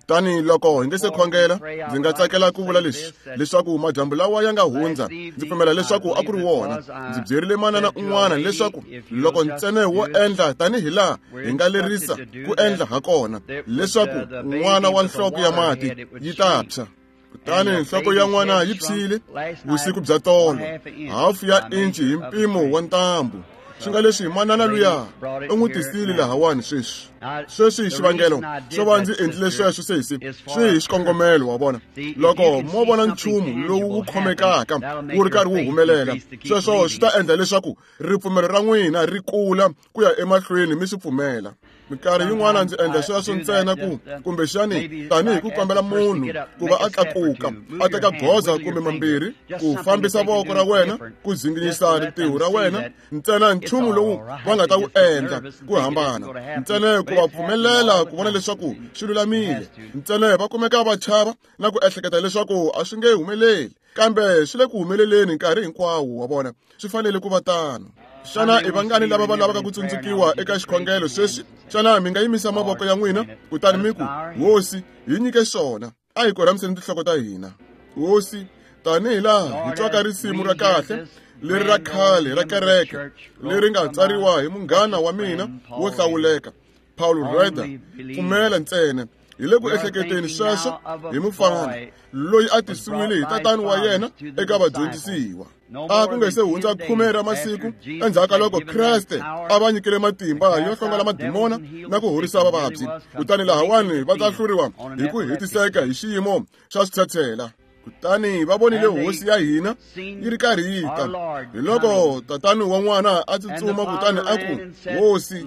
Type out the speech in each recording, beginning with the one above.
Kutani loko hi nge se khongela, ndzi nga tsakela ku vula leswi, leswaku madyambu lawa ya nga hundza, ndzi pfumela leswaku a ku ri wona. Ndzi byerile manana un'wana leswaku loko ntsena wo endla tanihi laha hi nga lerisa ku endla ha kona, leswaku n'wana wa nhloko ya mati yi ta phya. Kutani nhloko ya n'wana yi phyile vusiku bya tolo, hafu ya inci hi mpimo wa ntambu. Swi nga leswi manana luya u n'wi tisile lahawani sweswi. Sweswi xivangelo xo va ndzi endlile sweswo sesi swi hi xikongomelo, wa vona. Loko mo vona nchumu lowu wu khomekaka wu ri karhi wu humelela, sweswo swi ta endla leswaku ripfumelo ra n'wina ri kula ku ya emahlweni mi swi pfumela. Minkarhi yin'wana ndzi endla sweswo ntsena ku kumbexani tanihi ku kombela munhu ku va a tlakuka a teka goza kumbe mambirhi, ku fambisa voko ra wena, ku dzinginyisa rintiho ra wena, ntsena nchumu lowu va nga ta wu endla ku hambana, ntsena ku va pfumelela ku vona leswaku swi lulamile, ntsena va kumeka va chava na ku ehleketa leswaku a swi nge humeleli, kambe swi le ku humeleleni nkarhi hinkwawo, wa vona, swi fanele ku va tano. Xana i vangani lava va lavaka ku tsundzukiwa eka xikhongelo sweswi? Xana mi nga yimisa mavoko ya n'wina kutani mi ku, Hosi, hi nyike swona? A hi korhamiseni tinhloko ta hina. Hosi, tanihi laha hi twaka risimu ra kahle leri ra khale ra kereke leri nga tsariwa hi munghana wa mina wo hlawuleka Paul Rader, pfumela ntsena. Hi le ku ehleketeni sweswo hi mufana loyi a tisiwile hi tatani wa yena eka vadyondzisiwa. A ku nge se hundza 10 ra masiku endzhaku ka loko Kreste a va nyikile matimba yo hlongola madimona na ku horisa vavabyi, kutani lahawani va ta hluriwa hi ku hetiseka hi xiyimo xa switshetshela. Kutani va vonile hosi ya hina yi ri karhi yi ta. Hi loko tatani wa n'wana a tsutsuma kutani a ku, Hosi,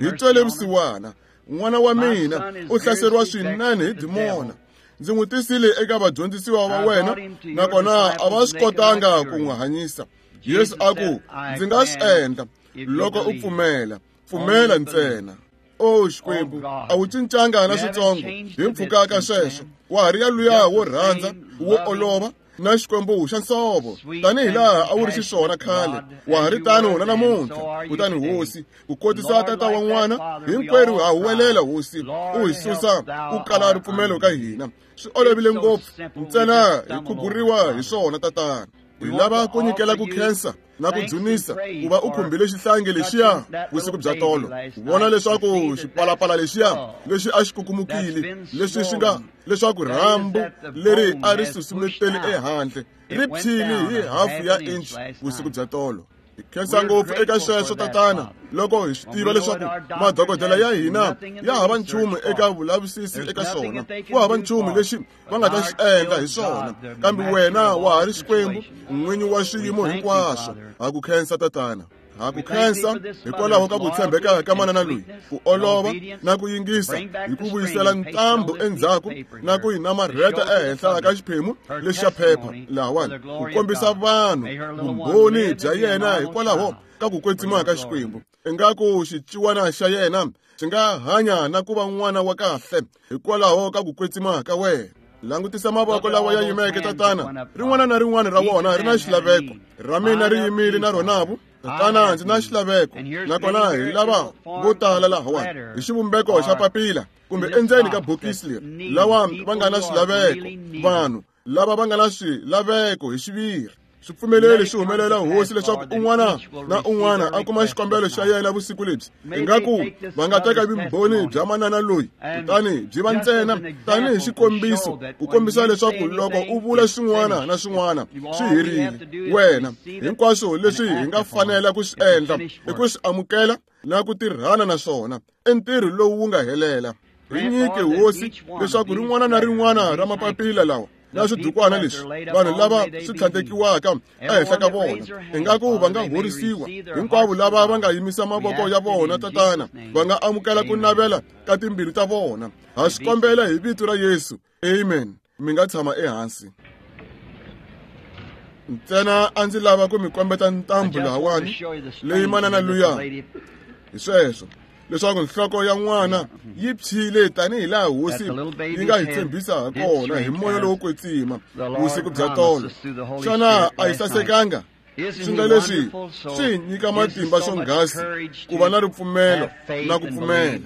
hi twele vusiwana, n'wana wa mina u hlaseriwa swinene hi dimona. Ndzi n'wi tisile eka vadyondzisiwa va wena, nakona a va swi kotanga ku n'wi hanyisa. Yesu a ku, Ndzi nga swi endla loko u pfumela, pfumela ntsena. O Xikwembu, a wu cincanga na switsongo hi mpfhuka ka sweswo. Wa ha ri ya luya wo rhandza, wo olova, na Xikwembu xa nsovo, tanihi laha a wu ri xiswona khale, wa ha ri tano na namuntlha. Kutani Hosi, ku kotisa tata wa n'wana, hinkwerhu ha huwelela, Hosi, u hi susa ku kala ripfumelo ka hina. Swi olovile ngopfu, ntsena hi khuguriwa hi swona, tatana. Hi lava ku nyikela ku khensa na ku dzunisa ku va u khumbile xihlangi lexiya vusiku bya tolo, ku vona leswaku xipalapala lexiya lexi a xi kukumukile, leswi swi nga leswaku rhambu leri a ri susumeteli ehandle ri phyile hi hafu ya inch vusiku bya tolo. Hi khensa ngopfu eka sweswo, tatana, loko hi swi tiva leswaku madokodela ya hina ya hava nchumu eka vulavisisi eka swona, ku hava nchumu lexi va nga ta xi endla hi swona, kambe wena wa ha ri Xikwembu, n'winyi wa xiyimo hinkwaswo. Ha ku khensa, tatana. Ha ku khensa hikwalaho ka ku tshembeka ka manana loyi, ku olova na ku yingisa, hi ku vuyisela ntambu endzhaku na ku yi namarheta ehenhla ka xiphemu lexi xa phepha lahawani, ku kombisa vanhu vumbhoni bya yena hikwalaho ka ku kwetsima ka Xikwembu. Ingaku xiciwana xa yena xi nga hanya na ku va n'wana wa kahle hikwalaho ka ku kwetsima ka wena. Langutisa mavoko lawa ya yimeke, tatana. Rin'wana na rin'wana ra wona ri na xilaveko. Ra mina ri yimile na ronavu, tatana, ndzi na xilaveko. Nakona hi lava vo tala lahawani hi xivumbeko xa papila kumbe endzeni ka bokisi leri, lawa va nga na swilaveko, vanhu lava va nga na swilaveko hi xiviri. Swi pfumeleli swi humelela, Hosi, leswaku un'wana na un'wana a kuma xikombelo xa yena vusiku lebyi. Ingaku va nga teka vumbhoni bya manana loyi kutani byi va ntsena tanihi xikombiso, ku kombisa leswaku loko u vula swin'wana na swin'wana swi herile, wena hinkwaswo leswi hi nga fanela ku swi endla i ku swi amukela na ku tirhana na swona i ntirho lowu wu nga helela. Hi nyike, Hosi, leswaku rin'wana na rin'wana ra mapapila lawa na swidukwana leswi vanhu lava swi tlhandlekiwaka ehenhla ka vona, ingaku va nga horisiwa. Hinkwavo lava va nga yimisa mavoko ya vona, tatana, va nga amukela ku navela ka timbilu ta vona. Ha swi kombela hi vito ra Yesu. Amen. Mi nga tshama ehansi. Ntsena a ndzi lava ku mi kombeta ntambu lahawani leyi manana luya hi sweswo, leswaku nhloko ya n'wana yi phyile tanihi laha Hosi yi nga hi tshembisa ha kona hi moya lowo kwetsima vusiku bya tolo. Xana a yi sasekanga? Swi nga leswi swi hi nyika matimba swonghasi ku va na ripfumelo na ku pfumela.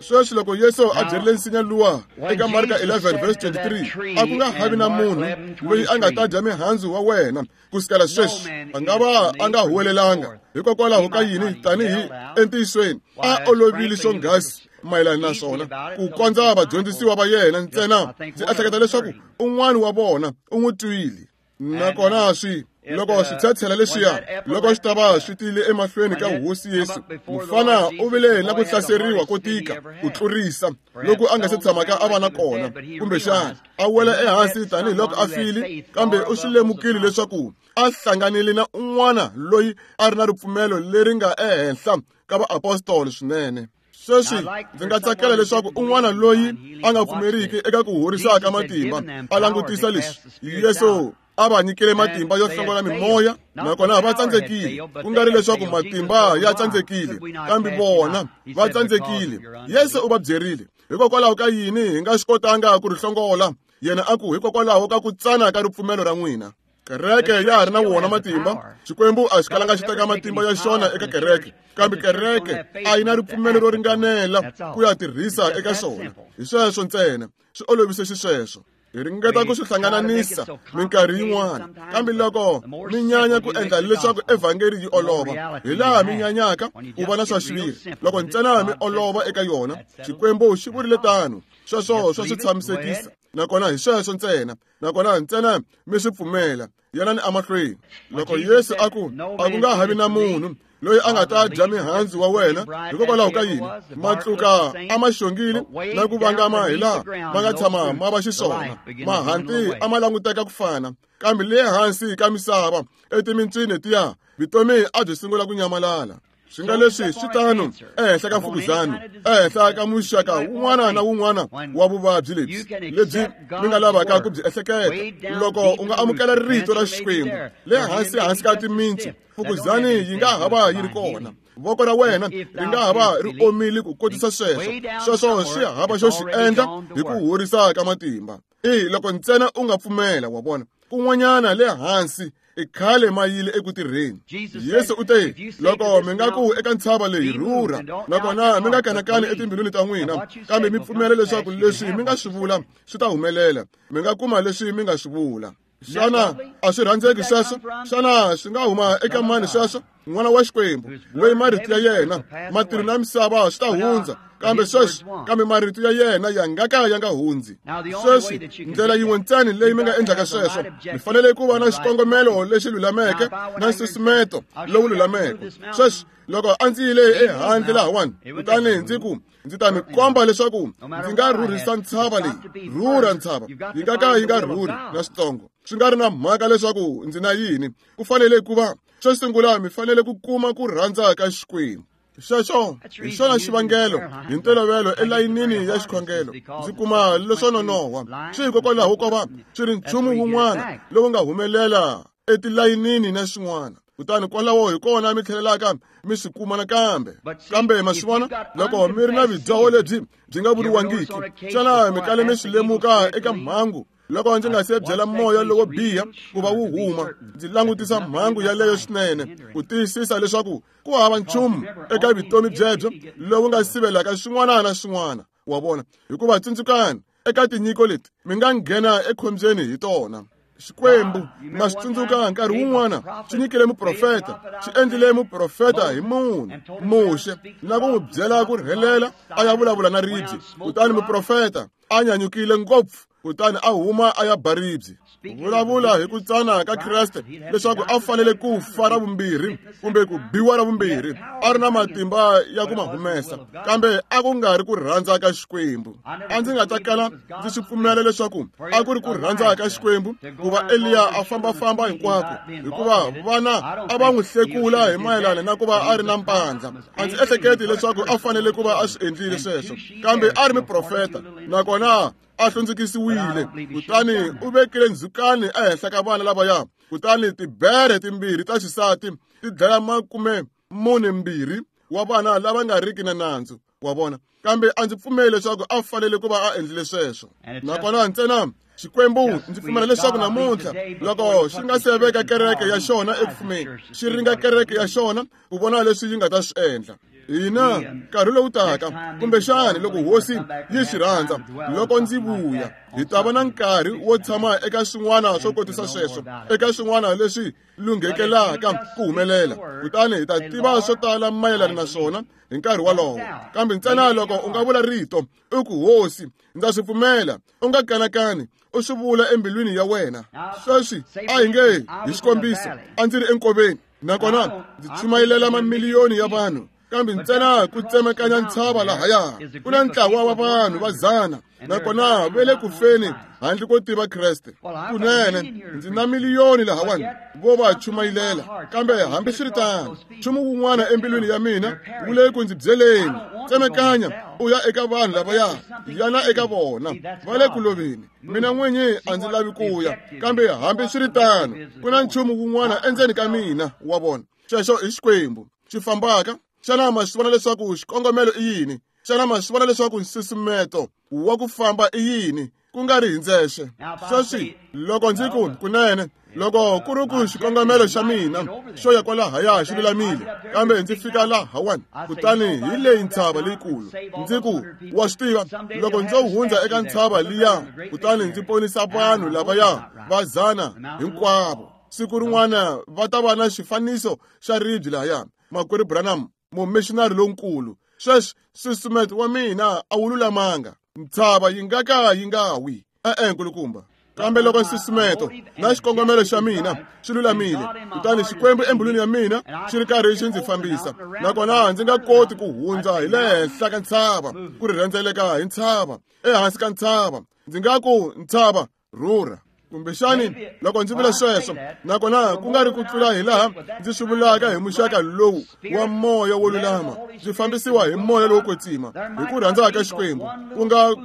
Sweswi loko Yesu a byerile nsinya luwa eka Marka 11 verse 23, a ku nga havi na munhu loyi a nga ta dya mihandzu wa wena ku sukela sweswi. A nga va a nga huwelelanga hikokwalaho ka yini tanihi entiyisweni a olovile swonghasi mayelana na swona ku kondza vadyondzisiwa va yena ntsena. Ndzi ehleketa leswaku un'wana wa vona u n'wi twile. Nakona swi loko switshetshela leswiya loko swi ta va swi tile emahlweni ka hosi Yesu, mufana u vile na ku hlaseriwa ko tika ku tlurisa loko a nga se tshamaka a va na kona, kumbexana a wela ehansi tanihiloko a file, kambe u swi lemukile leswaku a hlanganile na un'wana loyi a ri na ripfumelo leri nga ehenhla ka vaapostoli swinene. Sweswi ndzi nga tsakela leswaku un'wana loyi a nga pfumeriki eka ku horisa ka matimba a langutisa leswi Yesu a va nyikile matimba yo hlongola mimoya, nakona va tsandzekile. Ku nga ri leswaku matimba ya tsandzekile, kambe vona va tsandzekile. Yesu u va byerile, hikokwalaho ka yini hi nga swi kotanga ku ri hlongola? Yena a ku, hikokwalaho ka ku tsana ka ripfumelo ra n'wina. Kereke ya ha ri na wona matimba. Xikwembu a xi kalanga xi teka matimba ya xona eka kereke, kambe kereke a yi na ripfumelo ro ringanela ku ya tirhisa eka xona. Hi sweswo ntsena, swi olovise xisweswo. Hi ringeta ku swi hlangananisa minkarhi yin'wana, kambe loko mi nyanya ku endla leswaku evhangeli yi olova, hi laha mi nyanyaka ku va na swa xiviri. Loko ntsena mi olova eka yona, Xikwembu xi vurile tano, sweswo swa swi tshamisekisa. Nakona hi sweswo ntsena, nakona ntsena mi swi pfumela, yanani emahlweni. Loko Yesu a ku, a ku nga havi na munhu loyi a nga ta dya mihandzu wa wena, hikokwalaho ka yini? Matluka a ma xongile na ku vangama hi laha ma nga tshama ma va xiswona. Mahanti a ma languteka ku fana, kambe le hansi ka misava etimintswini tiya, vutomi a byi sungula ku nyamalala. Swi nga leswi swi tano ehenhla ka mfukuzana, ehenhla ka muxaka wun'wana na wun'wana wa vuvabyi lebyi lebyi mi nga lavaka ku byi ehleketa. Loko u nga amukela rito ra Xikwembu le hansi hansi ka timintsu, mfukuzani yi nga ha va yi ri kona. Voko ra wena ri nga ha va ri omile ku kotisa sweswo. Sweswo swi hava xo xi endla hi ku horisa ka matimba. I loko ntsena u nga pfumela, wa vona. Kun'wanyana le hansi i khale ma yile eku tirheni. Yesu u te, loko mi nga ku eka ntshava leyi, rhurha, nakona mi nga kanakani etimbilwini ta n'wina, kambe mi pfumela leswaku leswi mi nga swi vula swi ta humelela, mi nga kuma leswi mi nga swi vula. Xana a swi rhandzeki sweswo? Xana swi nga huma eka mani sweswo? N'wana wa Xikwembu, loyi marito ya yena, matilo na misava swi ta hundza, kambe sweswi, kambe marito ya yena ya nga ka ya nga hundzi. Sweswi, ndlela yin'we ntsena leyi mi nga endlaka sweswo, mi fanele ku va na xikongomelo lexi lulameke na nsusumeto lowu lulameke. Sweswi, loko a ndzi yile ehandle lahawani, kutani ndzi ku, ndzi ta mi komba leswaku ndzi nga rhurhisa ntshava leyi, rhurha ntshava, yi nga ka yi nga rhurhi na switsongo. Swi nga ri na mhaka leswaku ndzi na yini, ku fanele ku va xo sungula mi fanele ku kuma ku rhandza ka Xikwembu. Xexo hi xona xivangelo hi ntolovelo elayinini ya xikhongelo ndzi kuma leswo nonohwa. Swi hikokwalaho ko va swi ri nchumu wun'wana lowu nga humelela etilayinini na swin'wana, kutani kwalaho hi kona mi tlhelelaka mi swi kuma nakambe. Kambe ma swi vona, loko mi ri na vudyoho lebyi byi nga vuriwangiki, xana mi kale mi swi lemuka eka mhangu? Loko ndzi nga se byela moya lowo biha ku va wu huma, ndzi langutisa mhangu yaleyo swinene ku tiyisisa leswaku ku hava nchumu eka vutomi byebyo lowu nga sivelaka swin'wana na swin'wana. Wa vona? Hikuva tsundzukani, eka tinyiko leti mi nga nghena ekhombyeni hi tona. Xikwembu ma swi tsundzuka nkarhi wun'wana xi nyikile muprofeta, xi endlile muprofeta hi munhu Muxe, na ku n'wi byela ku rhelela a ya vulavula na ribye. Kutani muprofeta a nyanyukile ngopfu, kutani a huma a ya ba ribye. Vulavula hi ku tsana ka Kreste leswaku a fanele ku fa ra vumbirhi kumbe ku biwa ra vumbirhi, a ri na matimba ya ku ma humesa, kambe a ku nga ri ku rhandza ka Xikwembu. A ndzi nga ta kala ndzi swi pfumela leswaku a ku ri ku rhandza ka Xikwembu ku va Eliya a fambafamba hinkwako, hikuva vana a va n'wi hlekula hi mayelana na ku va a ri na mpandla. A ndzi ehleketi leswaku a fanele ku va a swi endlile sweswo, kambe a ri muprofeta, nakona a hlundzukisiwile. Kutani u vekile ndzhukani ehenhla ka vana lavaya, kutani tibere timbirhi ta xisati ti dlaya 42 wa vana lava nga riki na nandzu. Wa vona? Kambe a ndzi pfumeli leswaku a fanele ku va a endlile sweswo. Nakona ntsena Xikwembu ndzi pfumela leswaku namuntlha loko xi nga se veka kereke ya xona eku fumeni, xi ringa kereke ya xona ku vona leswi yi nga ta swi endla. Hina nkarhi lowu taka, kumbexani loko hosi yi swi rhandza, loko ndzi vuya, hi ta va na nkarhi wo tshama eka swin'wana swo kotisa sweswo, eka swin'wana leswi lunghekelaka ku humelela, kutani hi ta tiva swo tala mayelana na swona hi nkarhi wolowo. Kambe ntsena loko u nga vula rito, u ku, Hosi, ndza swi pfumela, u nga kanakani, u swi vula embilwini ya wena. Sweswi a hi nge, hi xikombiso, a ndzi ri enkoveni, nakona ndzi chumayelela mamiliyoni ya vanhu, kambe ntsena ku tsemakanya ntshava lahaya ku na ntlawa wa vanhu va 100, nakona va le ku feni handle ko tiva Kreste. Kunene ndzi na miliyoni lahawani vo va chumayilela, kambe hambiswiritano nchumu wun'wana embilwini ya mina wu le ku ndzi byeleni, tsemakanya u ya eka vanhu lavaya, yana eka vona, va le ku loveni. Mina n'winyi a ndzi lavi ku ya, kambe hambiswiritano ku na nchumu wun'wana endzeni ka mina, wa vona. Xexo i Xikwembu xi fambaka. Xana ma swi vona leswaku xikongomelo i yini? Xana ma swi vona leswaku nsusumeto wa ku famba i yini, ku nga ri hi ndzexe? Sweswi loko ndzi ku kunene, loko ku ri ku xikongomelo xa mina xo ya kwalahaya xi lulamile, kambe ndzi fika lahawani, kutani hi leyi ntshava leyikulu, ndzi ku, wa swi tiva, loko ndzo hundza eka ntshava liya, kutani ndzi ponisa vanhu lavaya va 100 hinkwavo, siku rin'wana va ta va na xifaniso xa ribye lahaya, Makwerhu Branham, mumissionary lonkulu. Sweswi nsusumeto wa mina a wu lulamanga, ntshava yi nga ka yi nga wi. E-e, nkulukumba. Kambe loko nsusumeto na xikongomelo xa mina swi lulamile, kutani Xikwembu embilwini ya mina xi ri karhi xi ndzi fambisa, nakona ndzi nga koti ku hundza hi le henhla ka ntshava, ku ri rhendzeleka hi ntshava, ehansi ka ntshava, ndzi nga ku, ntshava, rhurha. Kumbexani loko ndzi vula sweswo, nakona ku nga ri ku tlula hi laha ndzi swi vulaka hi muxaka lowu wa moya wo lulama, ndzi fambisiwa hi moya lowo kwetsima, hi ku rhandza ka Xikwembu,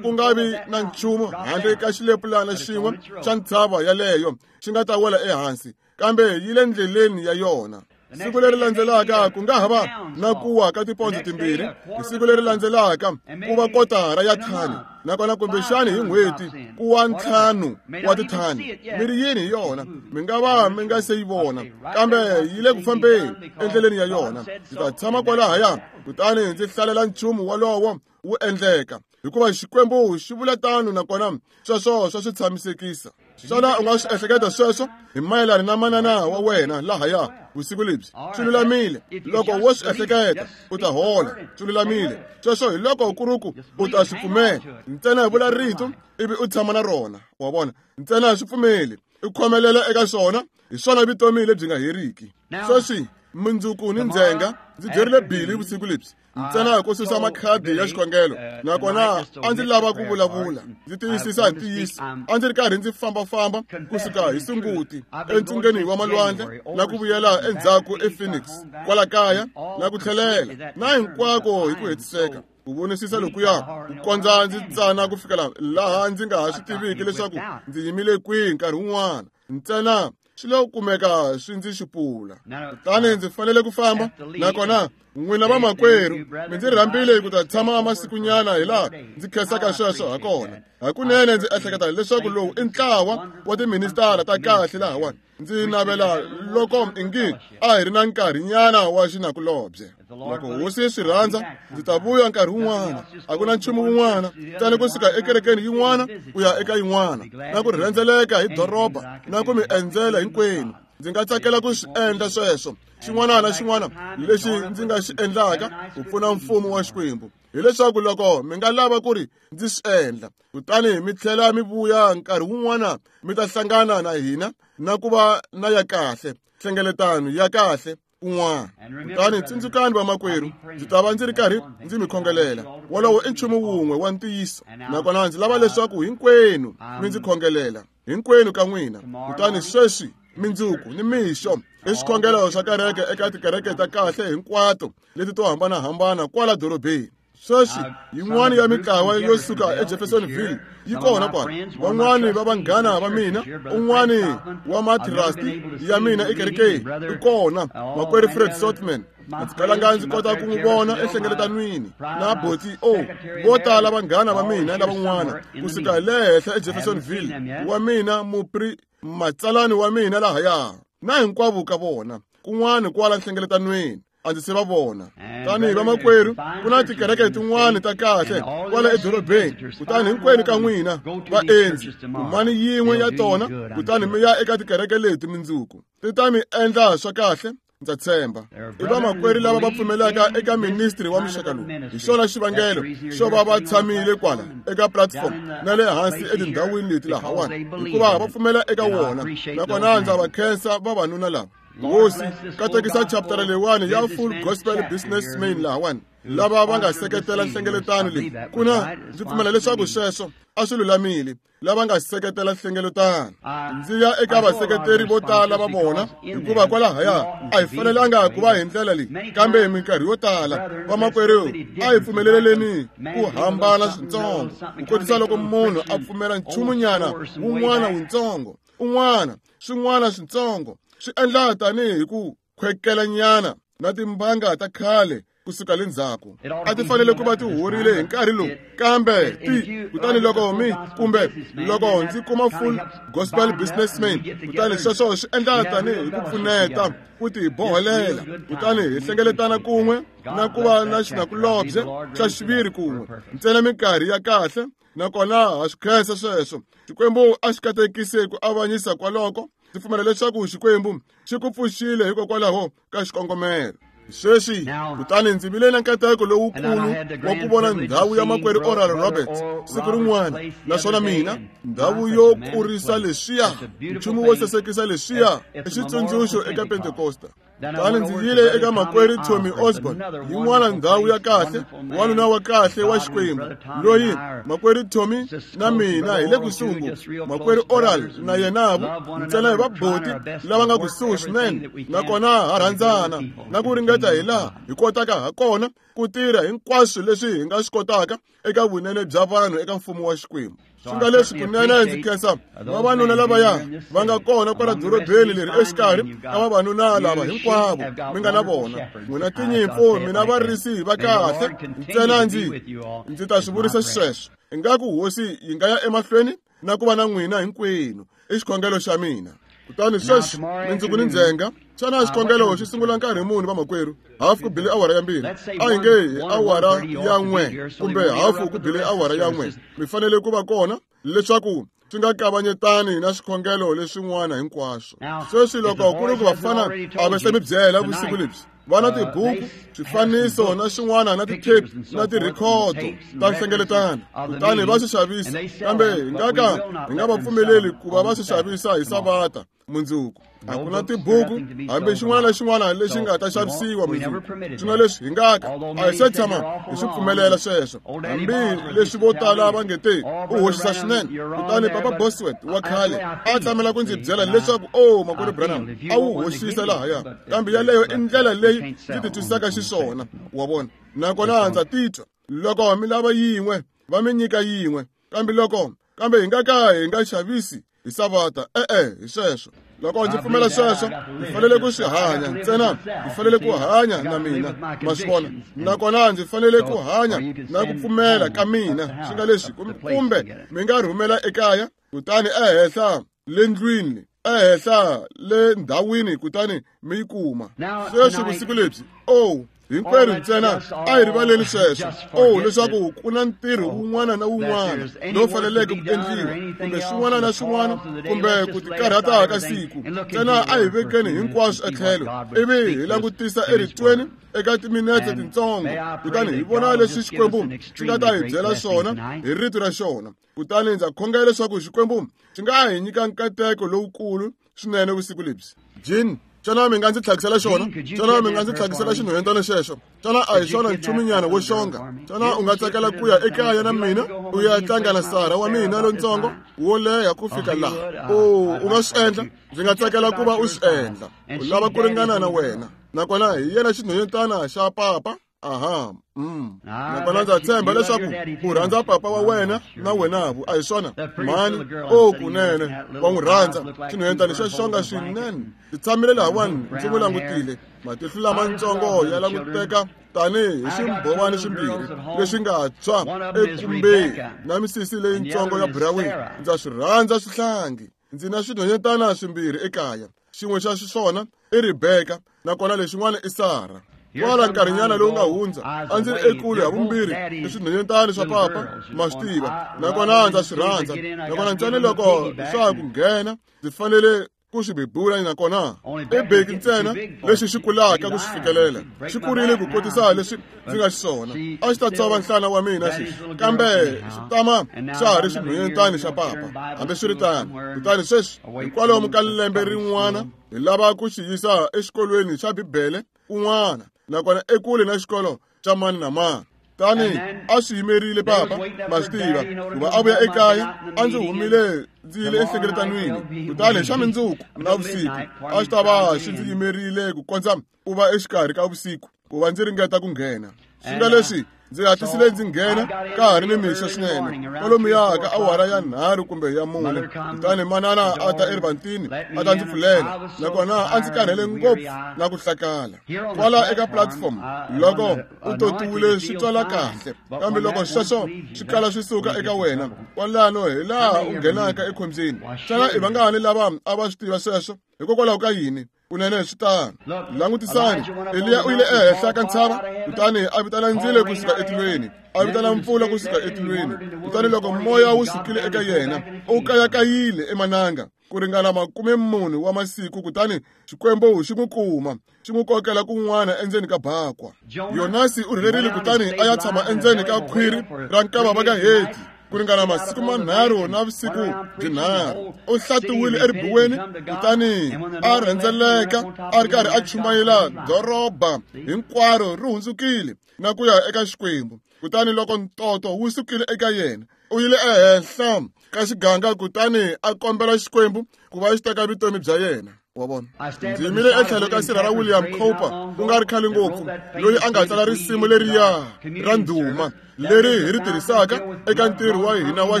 ku nga vi na nchumu handle ka xilepulana xin'we xa ntshava yaleyo xi nga ta wela ehansi, kambe yi le ndleleni ya yona. Siku leri landzelaka ku nga ha va na ku wa ka tipondzo 2, hi siku leri landzelaka ku va kotara ya thani, nakona kumbexani hi n'hweti ku wa 5 wa tithani. Mi ri yini hi yona? Mi nga va mi nga se yi vona, kambe yi le ku fambeni endleleni ya yona. Ndzi ta tshama kwalahaya, kutani ndzi hlalela nchumu wolowo wu endleka, hikuva Xikwembu xi vula tano, nakona sweswo swa swi tshamisekisa. Xana u nga swi ehleketa sweswo hi mayelana na manana wa wena lahaya vusiku lebyi? Swi lulamile. Loko wo swi ehleketa, u ta hola. Swi lulamile. Sweswo hi loko ku ri ku u ta swi pfumela. Ntsena vula rito ivi u tshama na rona, wa vona. Ntsena swi pfumeli, u khomelela eka swona, hi swona vutomi lebyi nga heriki. Sweswi mundzuku ni ndzhenga ndzi byerile Billy vusiku lebyi, ntsena ku susa makhadi ya xikhongelo, nakona a ndzi lava ku vulavula, ndzi tiyisisa hi ntiyiso. A ndzi ri karhi ndzi fambafamba kusuka hi Sunguti entsungeni wa malwandle na ku vuyela endzhaku ePhoenix, kwala kaya na ku tlhelela, na hinkwako hi ku hetiseka, ku vonisisa lokuya ku kondza ndzi tsana ku fikela laha ndzi nga ha swi tiviki leswaku ndzi yimile kwihi nkarhi wun'wana. Ntsena swi lo kumeka swi ndzi xupula, kutani ndzi fanele ku famba. Nakona n'wina vamakwerhu mi ndzi rhambile ku ta tshama masikunyana hi laha ndzi khensaka sweswo ha kona. Hakunene ndzi ehleketa leswaku lowu i ntlawa wa tiministara ta kahle lahawani. Ndzi navela loko ingi a hi ri na nkarhinyana wa xinakulobye. Loko hosi yi swi rhandza, ndzi ta vuya nkarhi wun'wana. A ku na nchumu wun'wana ntsena kusuka ekerekeni yin'wana ku ya eka yin'wana, na ku rhendzeleka hi doroba, na ku mi endzela hinkwenu. Ndzi nga tsakela ku swi endla sweswo. Xin'wana na xin'wana lexi ndzi nga xi endlaka ku pfuna mfumo wa Xikwembu, hileswaku loko mi nga lava ku ri ndzi swi endla, kutani mi tlhela mi vuya nkarhi wun'wana, mi ta hlangana na hina na ku va na ya kahle nhlengeletano ya kahle kun'wana. Kutani tsundzukani vamakwerhu, ndzi ta va ndzi ri karhi ndzi mi khongelela. Wolowo i nchumu wun'we wa ntiyiso, nakona ndzi lava leswaku hinkwenu mi ndzi khongelela, hinkwenu ka n'wina. Kutani sweswi mindzuku ni mixo i swikhongelo swa kereke eka tikereke ta kahle hinkwato leti to hambanahambana kwala dorobeni. Sweswi yin'wana ya mitlawa yo suka eJeffersonville yi kona kwala. Van'wani va vanghana va mina, un'wani wa matrasti ya mina ekerekeni i kona, makwerhu Fred Sotman. A ndzi kalanga ndzi kota ku n'wi vona enhlengeletanwini na Boti O. Vo tala vanghana va mina lavan'wana kusuka le henhla eJeffersonville, wa mina mupri matsalani wa mina lahaya, na hinkwavo ka vona kun'wana kwala nhlengeletanweni. A ndzi se va vona. Tanihi vamakwerhu, ku na tikereke tin'wana ta kahle kwala edorobeni, kutani hinkwenu ka n'wina vaendzi kumani yin'we ya tona, kutani mi ya eka tikereke leti mundzuku. Ti ta mi endla swa kahle, ndza tshemba. I vamakwerhu lava va pfumelaka eka ministry wa muxaka lowu. Hi xona xivangelo xo va va tshamile kwala eka platform na le hansi etindhawini leti lahawani, hikuva va pfumela eka wona. Nakona ndza va khensa vavanuna lava. Hosi, katekisa chapter leyiwani ya Full Gospel Businessmen lahawani, lava va nga seketela nhlengeletano leyi. Ku na ndzi pfumela leswaku sweswo a swi lulamile, lava nga seketela nhlengeletano. Ndzi ya eka vaseketeri vo tala va vona, hikuva kwalahaya a hi fanelanga ku va hi ndlela leyi, kambe hi minkarhi yo tala vamakwerhu a hi pfumeleleni ku hambana swintsongo, ku kotisa loko munhu a pfumela nchumunyana wun'wana wuntsongo, un'wana swin'wana swintsongo, swi endla tanihi ku khwekelanyana na timbanga ta khale kusuka le ndzhaku. A ti fanele ku va ti horile hi nkarhi lowu, kambe ti kutani loko mi kumbe loko ndzi kuma Full Gospel Businessman, kutani sweswo swi endla tanihi ku pfuneta ku ti boholela, kutani hi hlengeletana kun'we na ku va na xinakulobye xa xiviri kun'we, ntsena minkarhi ya kahle. Nakona ha swi khensa sweswo. Xikwembu a xi katekise ku avanyisa kwaloko. Ndzi pfumela leswaku Xikwembu xi ku pfuxile hikokwalaho ka xikongomelo. Sweswi, kutani ndzi vile na nkateko lowukulu wa ku vona ndhawu ya makwerhu Oral Roberts siku rin'wana, naswona mina ndhawu yo kurisa leswiya, nchumu wo sasekisa leswiya, i xitsundzuxo eka Pentekosta. Kutani ndzi yile eka makwerhu Tommy Osborn, yin'wana ndhawu ya kahle, wanuna wa kahle wa Xikwembu, loyi makwerhu Tommy na mina hi le kusuhi ngopfu. Makwerhu Oral na yenavo ntsena hi vaboti lava nga kusuhi swinene, nakona ha rhandzana na ku ringeta hi laha hi kotaka ha kona ku tirha hinkwaswo leswi hi nga swi kotaka eka vunene bya vanhu eka mfumo wa Xikwembu. Swi nga leswi kunene ndzi khensa vavanuna lavaya va nga kona kwala dorobeni leri exikarhi ka vavanuna lava hinkwavo mi nga na vona. N'wina tinyimpfu, mina varisi va kahle, ntsena ndzi ta swi vurisa xisweswo. Ingaku Hosi yi nga ya emahlweni na ku va na n'wina hinkwenu, i xikhongelo xa mina. Kutani sweswi mindzuku ni ndzhenga, xana xikhongelo xi sungula nkarhi muni vamakwerhu? Hafu ku bile awara ya 2, a hi nge hi awara ya 1 kumbe hafu ku bile awara ya 1. Mi fanele ku va kona leswaku swi nga kavanyetani na swikhongelo leswin'wana hinkwaswo. Sweswi loko ku ri ku vafana a va se mi byela vusiku lebyi, va na tibuku, swifaniso na swin'wana na ti-tape na tirhikhodo ta nhlengeletano, kutani va swi xavisa, kambe hi nga ka hi nga va pfumeleli ku va va swi xavisa hi Savata mundzuku. A ku na tibuku hambi xin'wana na xin'wana lexi nga ta xavisiwa mundzuku. Swi nga leswi hi nga ka a hi se tshama hi swi pfumelela sweswo, hambi leswi vo tala va nge te u hoxisa swinene. Kutani Papa Bosworth wa khale a tshamela ku ndzi byela leswaku o makwerhu Branham a wu hoxisa lahaya, kambe yaleyo i ndlela leyi ndzi titwisaka xiswona, wa vona. Nakona ndza titwa loko mi lava yin'we va mi nyika yin'we, kambe loko kambe hi nga ka hi nga xavisi hi Savata, e-e, hi sweswo. Loko ndzi pfumela sweswo, ndzi fanele ku swi hanya ntsena, ndzi fanele ku hanya na mina, ma swi vona. Nakona ndzi fanele ku hanya na ku pfumela ka mina, swi nga leswi kumbe mi nga rhumela ekaya, kutani ehenhla le ndlwini, ehenhla le ndhawini, kutani mi yi kuma. Sweswi vusiku lebyi, oh, hinkwerhu ntsena a hi rivaleni sweswo, oh, leswaku ku na ntirho wun'wana na wun'wana lowu faneleke ku endliwa, kumbe swin'wana na swin'wana, kumbe ku tikarhata ka siku. Ntsena a hi vekeni hinkwaswo etlhelo, ivi hi langutisa eritweni eka timinete tintsongo, kutani hi vona leswi Xikwembu xi nga ta hi byela swona hi rito ra xona. Kutani ndza khongela leswaku Xikwembu xi nga hi nyika nkateko lowukulu swinene vusiku lebyi. Jean, xana mi nga ndzi tlhakisela xona? Xana mi nga ndzi tlhakisela xinhwendana xexo? Xana a hi xona nchuminyana wo xonga? Xana u nga tsakela ku ya ekaya na mina u ya tlanga na Sara wa mina lontsongo wo leha ku fika laha? O, u nga swi endla? Ndzi nga tsakela ku va u swi endla. U lava ku ringana na wena. Nakona hi yena xinhwendana xa papa. Aha, Nakona ndza tshemba leswaku u rhandza papa wa wena na wenavu, a hi swona? Mhani, o kunene wa n'wi rhandza. Xinhwendana xa xonga swinene. Ndzi tshamile lahawani ndzi n'wi langutile. Matihlo lamatsongo ya languteka tanihi hi swimbhovani swimbirhi leswi nga tshwa ekumbeni na misisi leyintsongo ya buraweni. Ndza swi rhandza swihlangi. Ndzi na swinhwanyetana swimbirhi ekaya. Xin'we xa swona i Rebeka, nakona lexin'wana i Sara. Kwala nkarhinyana lowu nga hundza a ndzi ri ekule ha vumbirhi i swinhwenyetani swa papa, ma swi tiva, nakona ndza swi rhandza. Nakona ntsena loko swa ha ku nghena ndzi fanele ku swi bebula, nakona i beki ntsena lexi xi kulaka ku swi fikelela. Xi kurile ku kotisa leswi ndzi nga xiswona. A xi ta tsova nhlana wa mina xexi, kambe xi tama xa ha ri xinhwenyetani xa papa hambiswiritano. Kutani sweswi hikwalomu ka lembe rin'wana hi lava ku xi yisa exikolweni xa Bibele kun'wana, nakona ekule na xikolo xa mani na mani. Tani a swi yimerile papa, ma swi tiva, ku va a vuya ekaya a ndzi humile ndzi yile enhlengeletanwini. Kutani xa mindzuku na vusiku a xi ta va xi ndzi yimerile ku kondza ku va exikarhi ka vusiku ku va ndzi ringeta ku nghena. Swi nga leswi ndzi hatlisile ndzi nghena ka ha ri ni mixo swinene, kwalomuya ka awara ya 3 kumbe ya 4. Kutani manana a ta erivantini a ta ndzi pfulela, nakona a ndzi karhele ngopfu na ku hlakala. Kwala eka platform loko u totiwile swi twala kahle, kambe loko sweswo swi kala swi suka eka wena, kwalano hi laha u nghenaka ekhombyeni. Xana i vangani lava a va swi tiva sweswo? Hikokwalaho ka yini? Kunene swi tano. Langutisani, Eliya u yile ehenhla ka ntshava, kutani a vitana ndzilo kusuka etilweni, a vitana mpfula kusuka etilweni. Kutani loko moya wu sukile eka yena, u kayakayile emananga ku ringana 40 wa masiku, kutani Xikwembu xi n'wi kuma, xi n'wi kokela kun'wana endzeni ka bakwa. Yonasi u rhelerile kutani a ya tshama endzeni ka khwiri ra nkava va ka Heti ku ringana masiku manharhu na vusiku byinharhu. U hlatiwile eribuweni kutani a rhendzeleka a ri karhi a chumayela doroba hinkwaro ri hundzukile na ku ya eka Xikwembu. Kutani loko ntoto wu sukile eka yena, u yile ehenhla ka xiganga kutani a kombela Xikwembu ku va xi teka vutomi bya yena. Wa vona, ndzi yimile etlhelo ka sirha ra William Cowper ku nga ri khale ngopfu, loyi a nga tsala risimu leriya ra ndhuma leri hi ri tirhisaka eka ntirho wa hina wa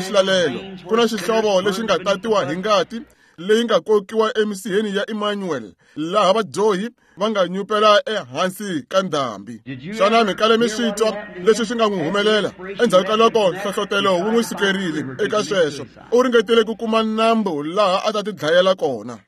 xilalelo. Ku na xihlovo lexi nga tatiwa hi ngati leyi nga kokiwa emisiheni ya Emmanuel, laha vadyohi va nga nyupela ehansi ka ndhambi. Xana mi kale mi swi twa leswi swi nga n'wi humelela endzhaku ka loko nhlohlotelo wu n'wi sukerile eka sweswo? U ringetile ku kuma nambu laha a ta ti dlayela kona.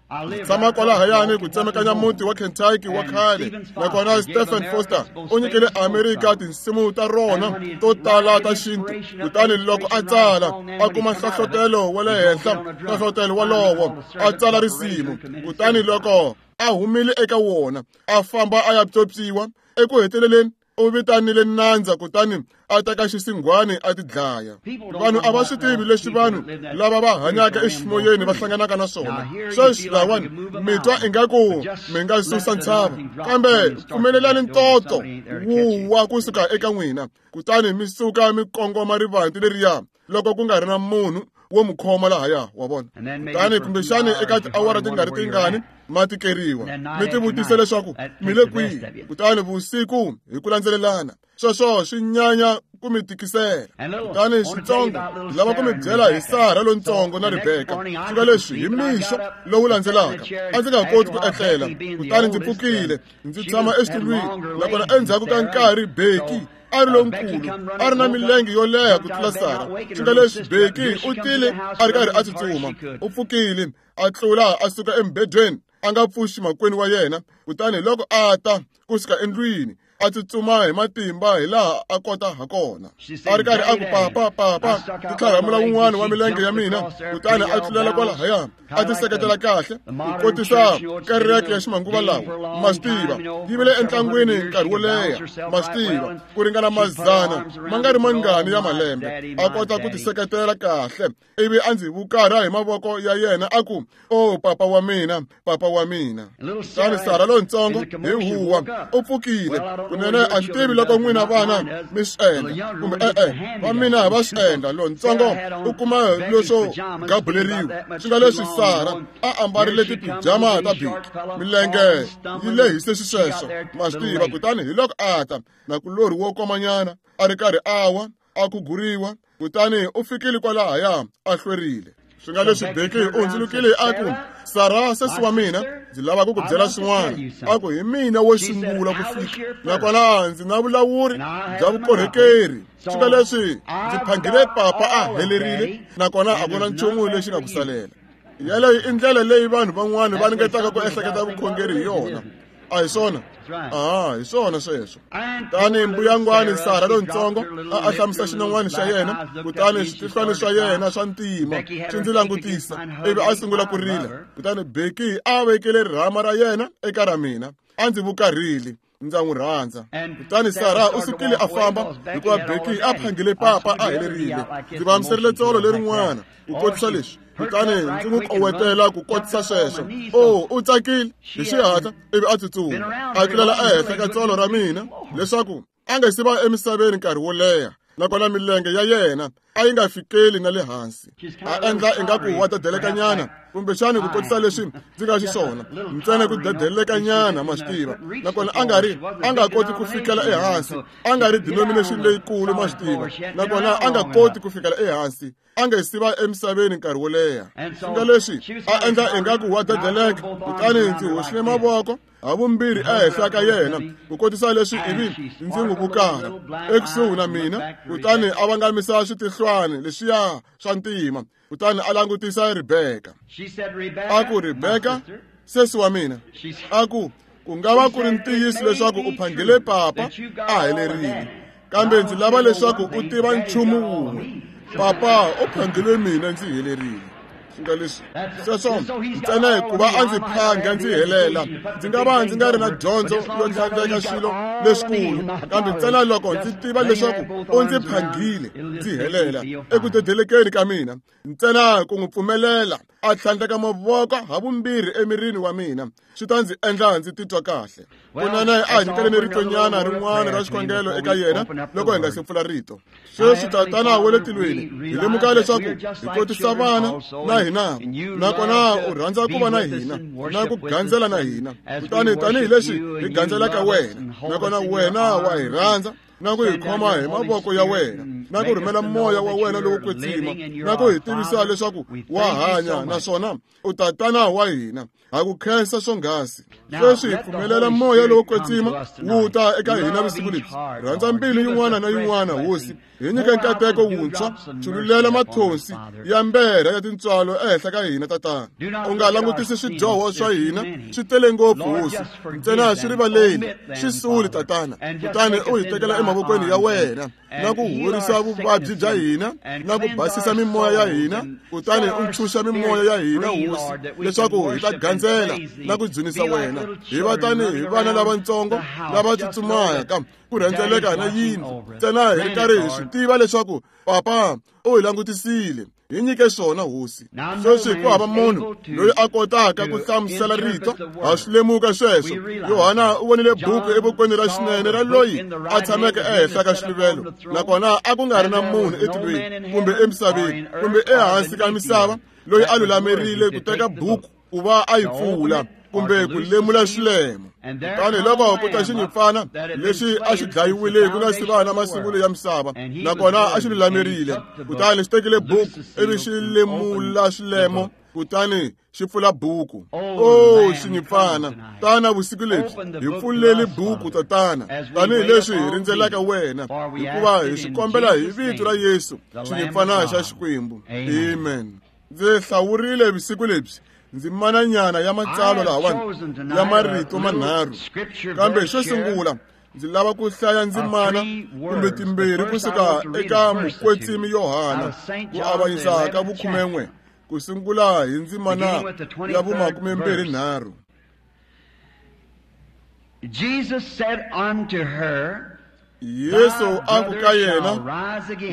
Tshama kwalahayani ku tsemekanya muti wa Kentucky wa khale, nakona Stephen Foster u nyikile Amerika tinsimu ta rona to tala ta xintu. Kutani loko a tsala a kuma nhlohlotelo wa le henhla, nhlohlotelo walowo a tsala risimu. Kutani loko a humile eka wona a famba a ya pyopyiwa, eku heteleleni u vitanile nandza kutani a teka xisinghwani a ti dlaya. Vanhu a va swi tivi leswi vanhu lava va hanyaka eximoyeni va hlanganaka na swona. Sweswi lawani mi twa ingaku mi nga susa ntshava, kambe pfumelelani ntoto wu wa kusuka eka n'wina, kutani mi suka mi kongoma rivanti leriya loko ku nga ri na munhu wo mu khoma lahaya. Wa vona? Kutani kumbexani eka tiawara ti nga ri tingani ma tikeriwa, mi tivutisa leswaku mi le kwihi. Kutani vusiku hi ku landzelelana, sweswo swi nyanya ku mi tikisela. Kutani xitsongo ndzi lava ku mi byela hi Sara lontsongo na Rebeka. Swi nga leswi hi mixo lowu landzelaka a ndzi nga koti ku etlela, kutani ndzi pfukile ndzi tshama exitulwini. Nakona endzhaku ka nkarhi Becky a ri lonkulu, a ri na milenge yo leha ku tlula Sara. Swi nga leswi Becky u tile a ri karhi a tsutsuma, u pfukile a tlula a suka embedweni a nga pfuxi makwenu wa yena. Kutani loko a ta kusuka endlwini a tsutsuma hi matimba hi laha a kota ha kona, a ri karhi a ku papa papa, ndzi tlharhamula wun'wana wa milenge ya mina. Kutani a tlulela kwalahaya a ti seketela kahle ku kotisa kereke ya ximanguva lawa. Ma swi tiva, yi vile entlangwini nkarhi wo leha, ma swi tiva, ku ringana mazana ma nga ri mangani ya malembe, a kota ku ti seketela kahle. Ivi a ndzi vukarha hi mavoko ya yena a ku, "O papa wa mina, papa wa mina." Kutani Sara lontsongo hi huwa u pfukile. Kunene a ndzi tivi loko n'wina vana mi swi endla kumbe e-e, va mina va swi endla. Lontsongo u kuma leswo gabuleriwa. Swi nga leswi Sara a ambarile tipijama ta Becky, milenge yi lehise xisweswo, ma swi tiva. Kutani hi loko a ta na kulorhi wo komanyana a ri karhi a wa, a khuguriwa, kutani u fikile kwalahaya a hlwerile. Swi nga leswi Becky u hundzulukile a ku, "Sara, sesi wa mina, ndzi lava ku ku byela swin'wana." A ku, "Hi mina wo sungula ku fika, nakona ndzi na vulawuri bya vukorhokeri. Swi nga leswi ndzi phangile papa a helerile, nakona a ku na nchumu lexi nga ku salela." Yeleyo i ndlela leyi vanhu van'wana va ringetaka ku ehleketa vukhongeri hi yona. A hi swona? Aha, hi swona sweswo. Kutani mbuyangwani Sara lontsongo a ahlamisa xinon'wana xa yena, kutani switihlwana swa yena swa ntima swi ndzi langutisa, ivi a sungula ku rila. Kutani Becky a vekele rirhama ra yena eka ra mina, a ndzi vukarhile. Ndza n'wi rhandza. Kutani Sara u sukile a famba hikuva Becky a phangile papa a helerile. Ndzi vamiserile tsolo lerin'wana ku kotisa leswi, kutani ndzi n'wi kowetela ku kotisa sweswo. O, u tsakile hi xihatla ivi a tsutsuma a tlulela ehenhla ka tsolo ra mina leswaku a nga si va emisaveni nkarhi wo leha, nakona milenge ya yena a yi nga fikeli na le hansi. A endla ingaku wa dedelekanyana, kumbexani ku kotisa leswi ndzi nga xiswona, ntsena ku dedelekanyana, ma swi tiva. Nakona a nga ri a nga koti ku fikela ehansi, a nga ri denomination leyikulu, ma swi tiva. Nakona a nga koti ku fikela ehansi, a nga si va emisaveni nkarhi wo leha. Swi nga leswi a endla ingaku wa dedeleka, kutani ndzi hoxile mavoko havumbirhi ehenhla ka yena ku kotisa leswi, ivi ndzi n'wi vukara ekusuhi na mina. Kutani a vangamisa switihlwani leswiya swa ntima, kutani a langutisa Rebeka. A ku, Rebeka, sesi wa mina, a ku, ku nga va ku ri ntiyiso leswaku u phangile papa a helerile, kambe ndzi lava leswaku u tiva nchumu wun'we, papa u phangile mina ndzi helerile. Swi nga leswi sweswo ntsena hikuva a ndzi phanga ndzi helela, ndzi nga va ndzi nga ri na dyondzo yo tlhandleka swilo leswikulu, kambe ntsena loko ndzi tiva leswaku u ndzi phangile ndzi helela eku dedelekeni ka mina, ntsena ku n'wi pfumelela a tlhandleka mavoko havumbirhi emirini wa mina swi ta ndzi endla ndzi titwa kahle. Kunene a hi nyikeleni ritonyana rin'wana ra xikhongelo eka yena loko hi nga se pfula rito. Sweswi, Tatana wa le tilweni, hi lemuka leswaku hi kotisa vana na hina, nakona u rhandza ku va na hina na ku gandzela na hina. Kutani tanihileswi hi gandzelaka wena, nakona wena wa hi rhandza na ku hi khoma hi mavoko ya wena, na ku rhumela moya wa wena lowo kwetsima, na ku hi tivisa leswaku wa hanya naswona u Tatana wa hina. Ha ku khensa swonghasi. Sweswi hi pfumelela moya lowo kwetsima wu ta eka hina vusiku lebyi. Rhandza mbilu yin'wana na yin'wana, Hosi. Hi nyike nkateko wuntshwa, chululela mathonsi ya mberha ya tintswalo ehenhla ka hina, Tatana. U nga langutisi swidyoho swa hina, swi tele ngopfu, Hosi. Ntsena swi rivaleni, swi suli, Tatana. Kutani u hi tekela emavokweni ya wena, na ku horisa vuvabyi bya hina, na ku basisa mimoya ya hina. Kutani u ntshunxa mimoya ya hina, Hosi, leswaku hi ta gandzela na ku dzunisa wena. Hi va tanihi vana lavatsongo lava tsutsumaka ku rhendzeleka na yindlu, ntsena hi ri karhi hi swi tiva leswaku papa u hi langutisile. Hi nyike swona, Hosi. Sweswi ku hava munhu loyi a kotaka ku hlamusela rito, ha swi lemuka sweswo. Yohana u vonile buku evokweni ra xinene ra loyi a tshameke ehenhla ka xiluvelo, nakona a ku nga ri na munhu etilweni kumbe emisaveni kumbe ehansi ka misava loyi a lulamerile ku teka buku ku va a yi pfula kumbe ku lemula xilemo. Kutani loko ku ta xinyimpfana lexi a xi dlayiwile ku nga si va na masungulo ya misava, nakona a xi lulamerile, kutani xi tekile buku ivi xi lemula xilemo, kutani xi pfula buku. O xinyimpfana, tana vusiku lebyi, hi pfuleli buku, Tatana, tanihileswi hi rindzelaka wena, hikuva hi swi kombela hi vito ra Yesu, xinyimpfana xa Xikwembu. Amen. Ndzi hlawurile vusiku lebyi ndzimananyana ya matsalwa lahawani ya marito manharhu, kambe xo sungula ndzi lava ku hlaya ndzimana kumbe timbirhi kusuka eka mukwetsimi Yohana ku avanyisa ka vukhumen'we, ku sungula hi ndzimana ya vumakumembirhi-nharhu. Jesus said unto her, Yesu a ku ka yena,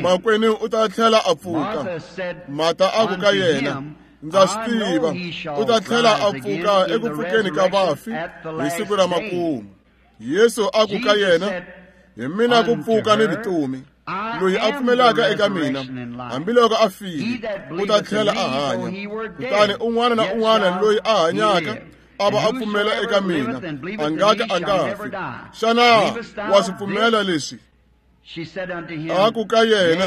makwenu u ta tlhela a pfuka. Marta a ku ka yena, ndza swi tiva u ta tlhela a pfuka eku pfukeni ka vafi hi siku ra makumu. Yesu a ku ka yena, hi mina ku pfuka ni vutomi. Loyi a pfumelaka eka mina, hambiloko a file, u ta tlhela a hanya. Kutani un'wana na un'wana loyi a hanyaka a va a pfumela eka mina, a nga ka a nga fi. Xana wa swi pfumela leswi? A ku ka yena,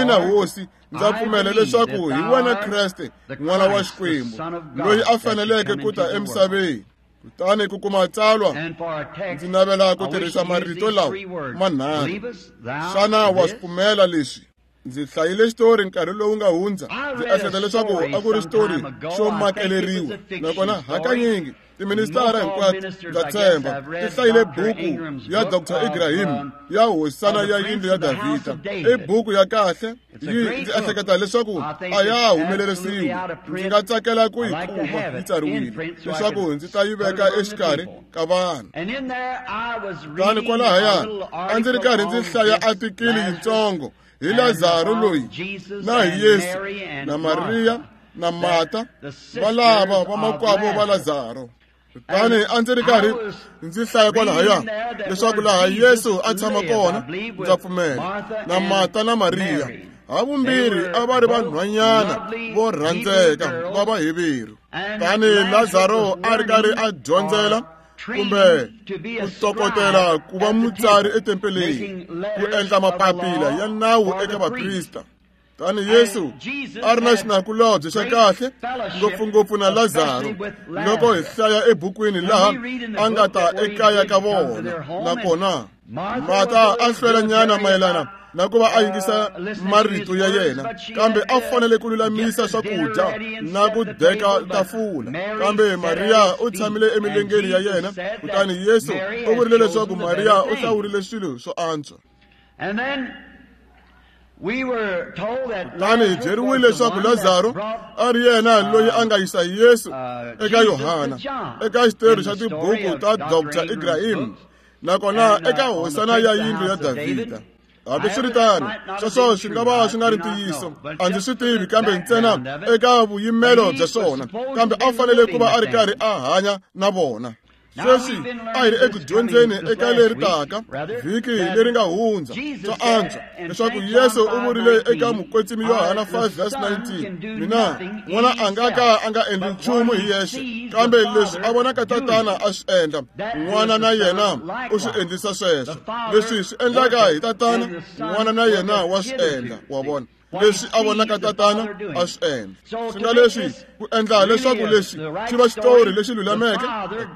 ina Hosi, ndza pfumela leswaku hi wena Kreste, N'wana wa Xikwembu, loyi a faneleke ku ta emisaveni. Kutani ku kuma tsalwa, ndzi navela ku tirhisa marito lawa manharhu. Xana wa swi pfumela leswi? Ndzi hlayile xitori nkarhi lowu nga hundza, ndzi ehleketa leswaku a ku ri xitori xo makeleriwa, nakona hakanyingi tiministara hinkwato ndza tshemba ti hlayile buku ya Dr. Ibrahim ya hosana ya yindlu ya Davhida. I buku ya kahle, yi ndzi ehleketa leswaku a ya humelerisiwi. Ndzi nga tsakela ku yi kuma yi tsariwile leswaku ndzi ta yi veka exikarhi ka vanhu. Kutani kwalahaya a ndzi ri karhi ndzi hlaya atikili yitsongo hi Lazaro loyi na hi Yesu na Mariya na Marta valava vamakwavo va Lazaro. Kutani a ndzi ri karhi ndzi hlaya kwalahaya leswaku laha Yesu a tshama kona, ndza pfumela, na Marta na Mariya havumbirhi a va ri vanhwanyana vo rhandzeka va Vaheveru. Kutani Lazaro a ri karhi a dyondzela kumbe ku tokotela ku va mutsari etempeleni, ku endla mapapila ya nawu eka vaprista. Tani Yesu a ri na xinakulobye xa kahle ngopfungopfu na Lazaro loko hi hlaya ebukwini laha a nga ta ekaya ka vona. Nakona Marta a hlwelanyana mayelana na ku va a yingisa marito ya yena, kambe a fanele ku lulamisa swakudya na ku deka tafula. Kambe Mariya u tshamile emilengeni ya yena, kutani Yesu u vurile leswaku Mariya u hlawurile swilo swo antswa. Kutani hi byeriwile leswaku Lazaro a ri yena loyi a nga yisa Yesu eka Yohana eka xitori xa tibuku ta Dr. Ibrahim, nakona eka hosana ya yindlu ya Davhida. Hambiswiritano, sweswo swi nga va swi nga ri ntiyiso, a ndzi swi tivi, kambe ntsena eka vuyimelo bya swona, kambe a fanele ku va a ri karhi a hanya na vona. Sweswi a hi ri eku dyondzeni eka leri taka vhiki leri nga hundza swa antswa leswaku Yesu u vurile eka mukwetsimi Yohana 5:19, mina n'wana a nga ka a nga endli nchumu hi yexe, kambe leswi a vonaka tatana a swi endla, n'wana na yena u swi endlisa sweswo. Leswi swi endlaka hi tatana, n'wana na yena wa swi endla. Wa vona leswi a vonaka tatana a swi endla. Swi nga leswi ku endla leswaku leswi xi va xitori lexi lulameke,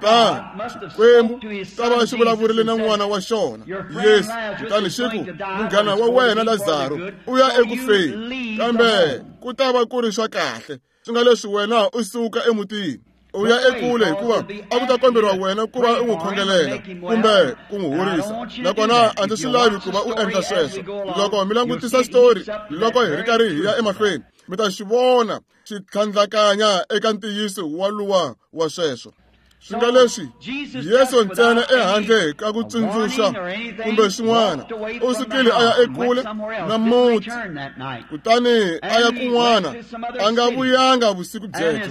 tatana Xikwembu ta va xi vulavurile na n'wana wa xona Yesu, kutani xi ku, munghana wa wena Lazaro u ya eku feni, kambe ku ta va ku ri swa kahle. Swi nga leswi wena u suka emutini u ya ekule, hikuva a ku ta komberiwa wena ku va u n'wi khongelela kumbe ku n'wi horisa. Nakona a ndzi swi lavi ku va u endla sweswo. Loko mi langutisa xitori loko hi ri karhi hi ya emahlweni, mi ta xi vona xi tlhandlakanya eka ntiyiso wa luwa wa sweswo. Swi nga leswi Yesu ntsena ehandle ka ku tsundzuxa kumbe swin'wana u sukile a ya ekule na muti, kutani a ya kun'wana, a nga vuyanga vusiku byebyo.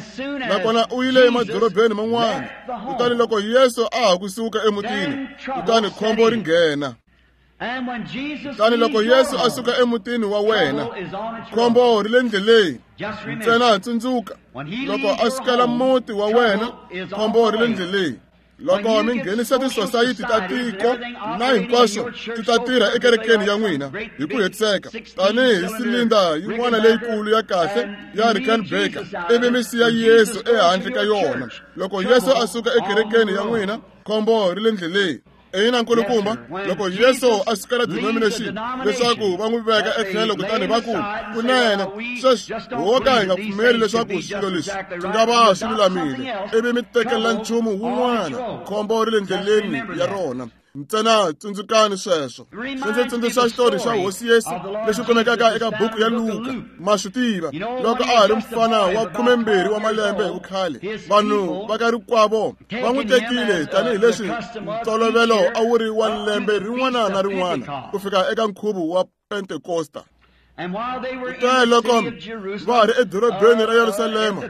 Nakona u yile emadorobeni man'wana. Kutani loko Yesu a ha ku suka emutini, kutani khombo ri nghena. Kutani loko Yesu a suka emutini wa wena, khombo ri le ndleleni. Ntsena tsundzuka, loko a sukela muti wa wena, khombo ri le ndleleni. Loko mi nghenisa tisosayiti ta tiko na hinkwaswo ti ta tirha ekerekeni ya n'wina hi ku hetiseka tanihi silinda yin'wana leyikulu ya kahle ya Rickenbacker, ivi mi siya Yesu ehandle ka yona. Loko Yesu a suka ekerekeni ya n'wina, khombo ri le ndleleni. Ina nkulukumba, loko Yesu a sukela denomination leswaku va n'wi veka etlhelo, kutani va ku, kunene sweswi ho ka hi nga pfumeli leswaku swilo leswi swi nga va swi lulamile, ivi mi tekelela nchumu wun'wana, khombo ri le ndleleni ya rona. Ntsena tsundzukani sweswo. Swi ndzi tsundzuxa xitori xa Hosi Yesu lexi kumekaka eka buku ya Luka. Ma swi tiva, loko a ha ri mfana wa 12 wa malembe hi vukhale, vanhu va ka rikwavo va n'wi tekile tanihileswi ntolovelo a wu ri wa lembe rin'wana na rin'wana ku fika eka nkhuvo wa Pentekosta. Kutani loko va ha ri edorobeni ra Yerusalema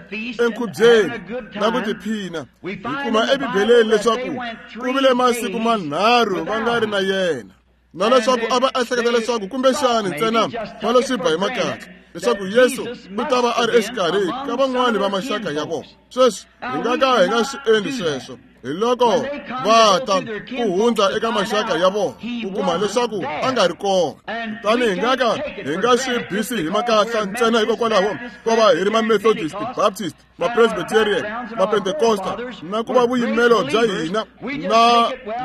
enkhubyeni na ku tiphina, hi kuma eBibeleni leswaku ku vile masiku manharhu va nga ri na yena, na leswaku a va ehleketa leswaku kumbexani ntsena va lo swi ba hi makatla. leswaku Yesu u ta va a ri exikarhi ka van'wani va maxaka ya vona. Sweswi hi nga ka hi nga swi endli sweswo. Hi loko va ta ku hundza eka maxaka ya vona ku kuma leswaku a nga ri kona. Kutani hi nga ka hi nga swi bisi hi makatla ntsena hikokwalaho ko va hi ri ma-Methodist, Baptist, ma-Presbyterian, ma-Pentecosta, na ku va vuyimelo bya hina na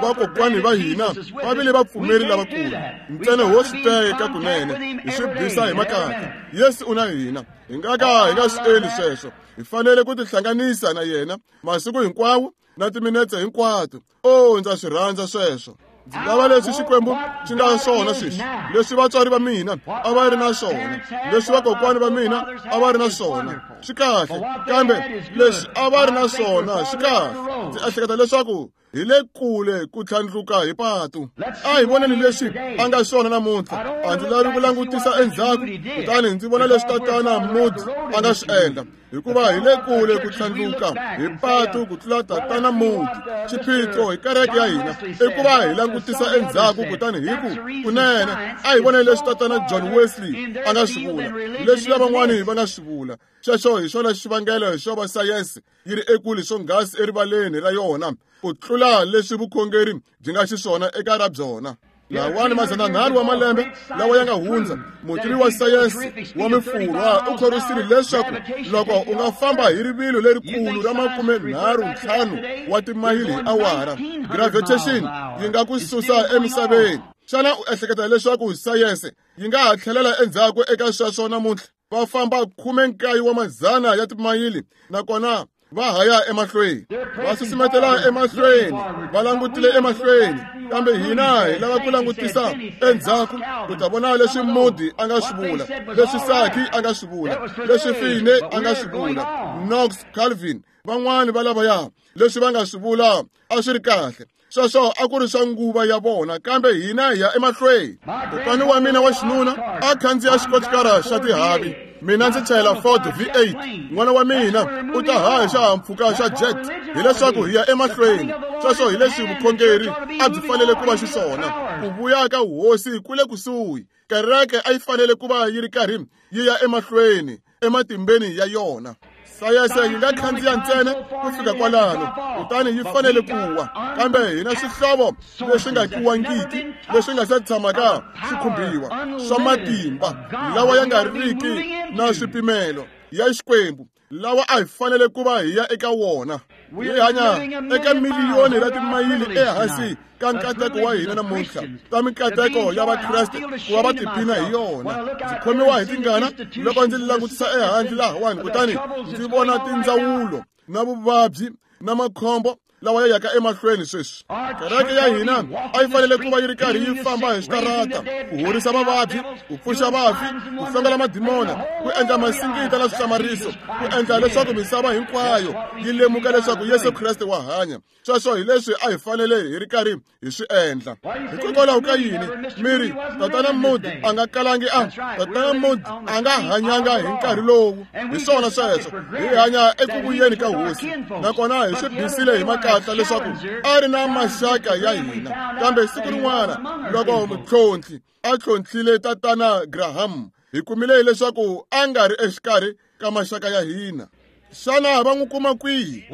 vakokwani va hina va vile vapfumeri lavakulu. Ntsena ho swi teka kunene hi swi bisa hi makatla. Yesu u na hina. Hi nga ka hi nga swi endli sweswo. Hi fanele ku tihlanganisa na yena masiku hinkwawo na timinetse hinkwato. O, ndza swi rhandza sweswo. Ndzi lava leswi Xikwembu xi nga swona sweswi, leswi vatswari va mina a va ri na swona, leswi vakokwani va mina a va ri na swona, swi kahle. Kambe leswi a va ri na swona swi kahle. Ndzi ehleketa leswaku hi le kule ku tlhandluka hi patu. A hi voneni leswi a nga swona namuntlha. A ndzi lavi ku langutisa endzhaku kutani ndzi vona leswi Tatana Moody a nga swi endla, hikuva hi le kule ku tlhandluka hi patu ku tlula Tatana Moody. Xiphiqo hi kereke ya hina i ku va hi langutisa endzhaku kutani hi ku kunene a hi voneni leswi Tatana John Wesley a nga swi vula, leswi lavan'wani va nga swi vula. Xexo hi xona xivangelo xo va sayense yi ri ekule swonghasi erivaleni ra yona ku tlula leswi vukhongeri byi nga xiswona eka ra byona. Lawani 300 wa malembe lawa ya nga hundza, mutivi wa sayense wa Mufurwa u khorwisile leswaku loko u nga famba hi rivilo lerikulu ra 35 wa timayili hi awara, gravitation yi nga ku susa emisaveni. Xana u ehleketa leswaku sayense yi nga ha tlhelela endzhaku eka sweswo namuntlha? Va famba 19 wa madzana ya timayili nakona va haya emahlweni, va susumetela emahlweni, va langutile emahlweni. Kambe hina hi lava ku langutisa endzhaku ku ta vona leswi Moody a nga swi vula, leswi Saki a nga swi vula, leswi Finney a nga swi vula, Knox, Calvin, van'wani va lavaya, leswi va nga swi vula a swi ri kahle. Sweswo a ku ri swa nguva ya vona, kambe hina hi ya emahlweni. Kokwana wa mina wa xinuna a khandziya xikochikara xa tihavi, mina ndzi chayela Ford V8. N'wana wa mina u ta haha hi xihahampfhuka xa jet. Hileswaku hi ya emahlweni. Sweswo hi leswi vukhongeri a byi fanele ku va xiswona. Ku vuya ka hosi ku le kusuhi. Kereke a yi fanele ku va yi ri karhi yi ya emahlweni ematimbeni ya yona. Sayense yi nga khandziya ntsena ku fika kwalano, kutani yi fanele ku wa. Kambe hi na swihlovo leswi nga kiwangiki, leswi nga se tshamaka swi khumbiwa, swa matimba lawa ya nga riki na swipimelo ya Xikwembu, lawa a hi fanele ku va hi ya eka wona. Hi hanya eka miliyoni ra timayili ehansi ka nkateko wa hina namuntlha, ta minkateko ya Vakreste ku va va tiphina hi yona. Ndzi khomiwa hi tingana loko ndzi langutisa ehandle lahawani kutani ndzi vona tindzawulo na vuvabyi na makhombo lawa ya yaka emahlweni sweswi. Kereke ya hina a yi fanele ku va yi ri karhi yi famba hi switarata, ku horisa vavabyi, ku pfuxa vafi, ku hlongela madimona, ku endla masingita na swihlamariso, ku endla leswaku misava hinkwayo yi lemuka leswaku Yesu Kreste wa hanya. Sweswo hi leswi a hi fanele hi ri karhi hi swi endla. Hikokwalaho ka yini mi ri Tatana Moody a nga kalangi a Tatana Moody a nga hanyanga hi nkarhi lowu? Hi swona sweswo. Hi hanya eku vuyeni ka hosi, nakona hi swi bisile hi makatla leswaku a ri na maxaka ya hina. Kambe siku rin'wana loko mutlhontlhi a tlhontlhile Tatana Graham, hi kumile leswaku a nga ri exikarhi ka maxaka ya hina. Xana va n'wi kuma kwihi?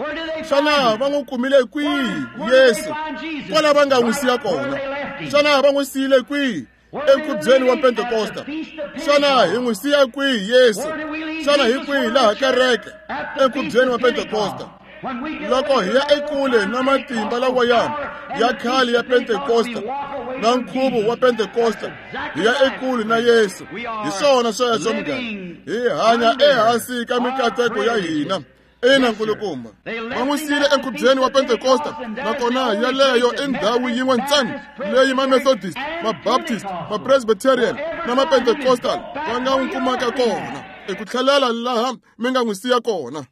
Xana va n'wi kumile kwihi Yesu? Kwala va nga n'wi siya kona. Xana va n'wi siyile kwihi enkhubyeni wa Pentekosta? Xana hi n'wi siya kwihi Yesu? Xana hi kwihi laha kereke enkhubyeni wa Pentekosta? Loko hi ya ekule na matimba lawa ya khale ya Pentekosta na nkhuvo wa Pentekosta, hi ya ekule na Yesu. Hi swona sweswo, munghana. Hi hanya ehansi ka mikateko ya hina. Ina, nkulukumba. Va n'wi siyile enkhubyeni wa Pentekosta, nakona yaleyo i ndhawu yin'we ntsena leyi ma-Methodist, ma-Baptist, ma-Presbyterian na ma-Pentecostal va nga n'wi kumaka kona. I ku tlhelela laha mi nga n'wi siya kona.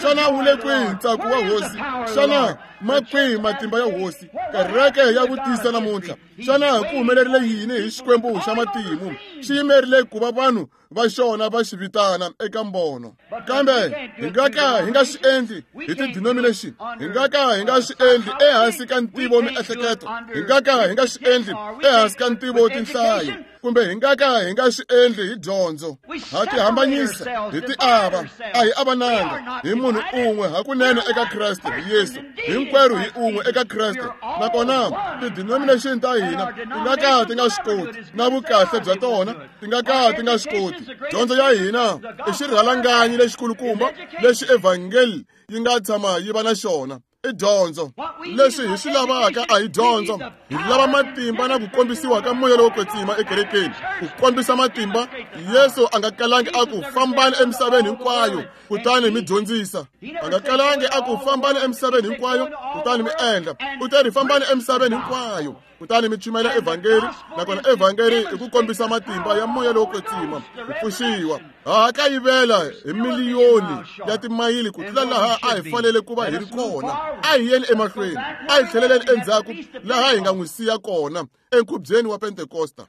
Xana wu le kwihi ntsako wa hosi? Xana ma kwihi matimba ya hosi? Kereke ya vutisa namuntlha. Xana ku humelerile yini hi Xikwembu xa matimu? Xi yimerile ku va vanhu va xona va xi vitana eka mbono. Kambe hi nga ka hi nga swi endli hi ti-denomination, hi nga ka hi nga swi endli ehansi ka ntivo miehleketo, hi nga ka hi nga swi endli ehansi ka ntivo tinhlayo, kumbe hi nga ka hi nga swi endli hi dyondzo. Ha ti hambanyisa, hi ti ava, a hi avananga, hi munhu un'we hakunene eka Kreste Yesu. Hinkwerhu hi un'we eka Kreste. Nakona ti-denomination ta hina ti nga ka ti nga swi koti, na vukahle bya tona ti nga ka ti nga swi koti. Dyondzo ya hina i xirhalanganyi lexikulukumba lexi evhangeli yi nga tshama yi va na xona. I dyondzo. Leswi hi swi lavaka a hi dyondzo. Hi lava matimba na ku kombisiwa ka moya lowo kwetsima ekerekeni. Ku kombisa matimba, Yesu a nga kalangi a ku fambani emisaveni hinkwayo kutani mi dyondzisa. A nga kalangi a ku fambani emisaveni hinkwayo kutani mi endla. U te ri fambani emisaveni hinkwayo kutani mi chumayela evhangeli, nakona evhangeli i ku kombisa matimba ya moya lowo kwetsima, ku pfuxiwa. Ha kayivela hi miliyoni ya timayili ku tlula laha a hi fanele ku va hi ri kona. A hi yeni emahlweni, a hi tlheleleni endzhaku laha hi nga n'wi siya kona enkhubyeni wa Pentekosta.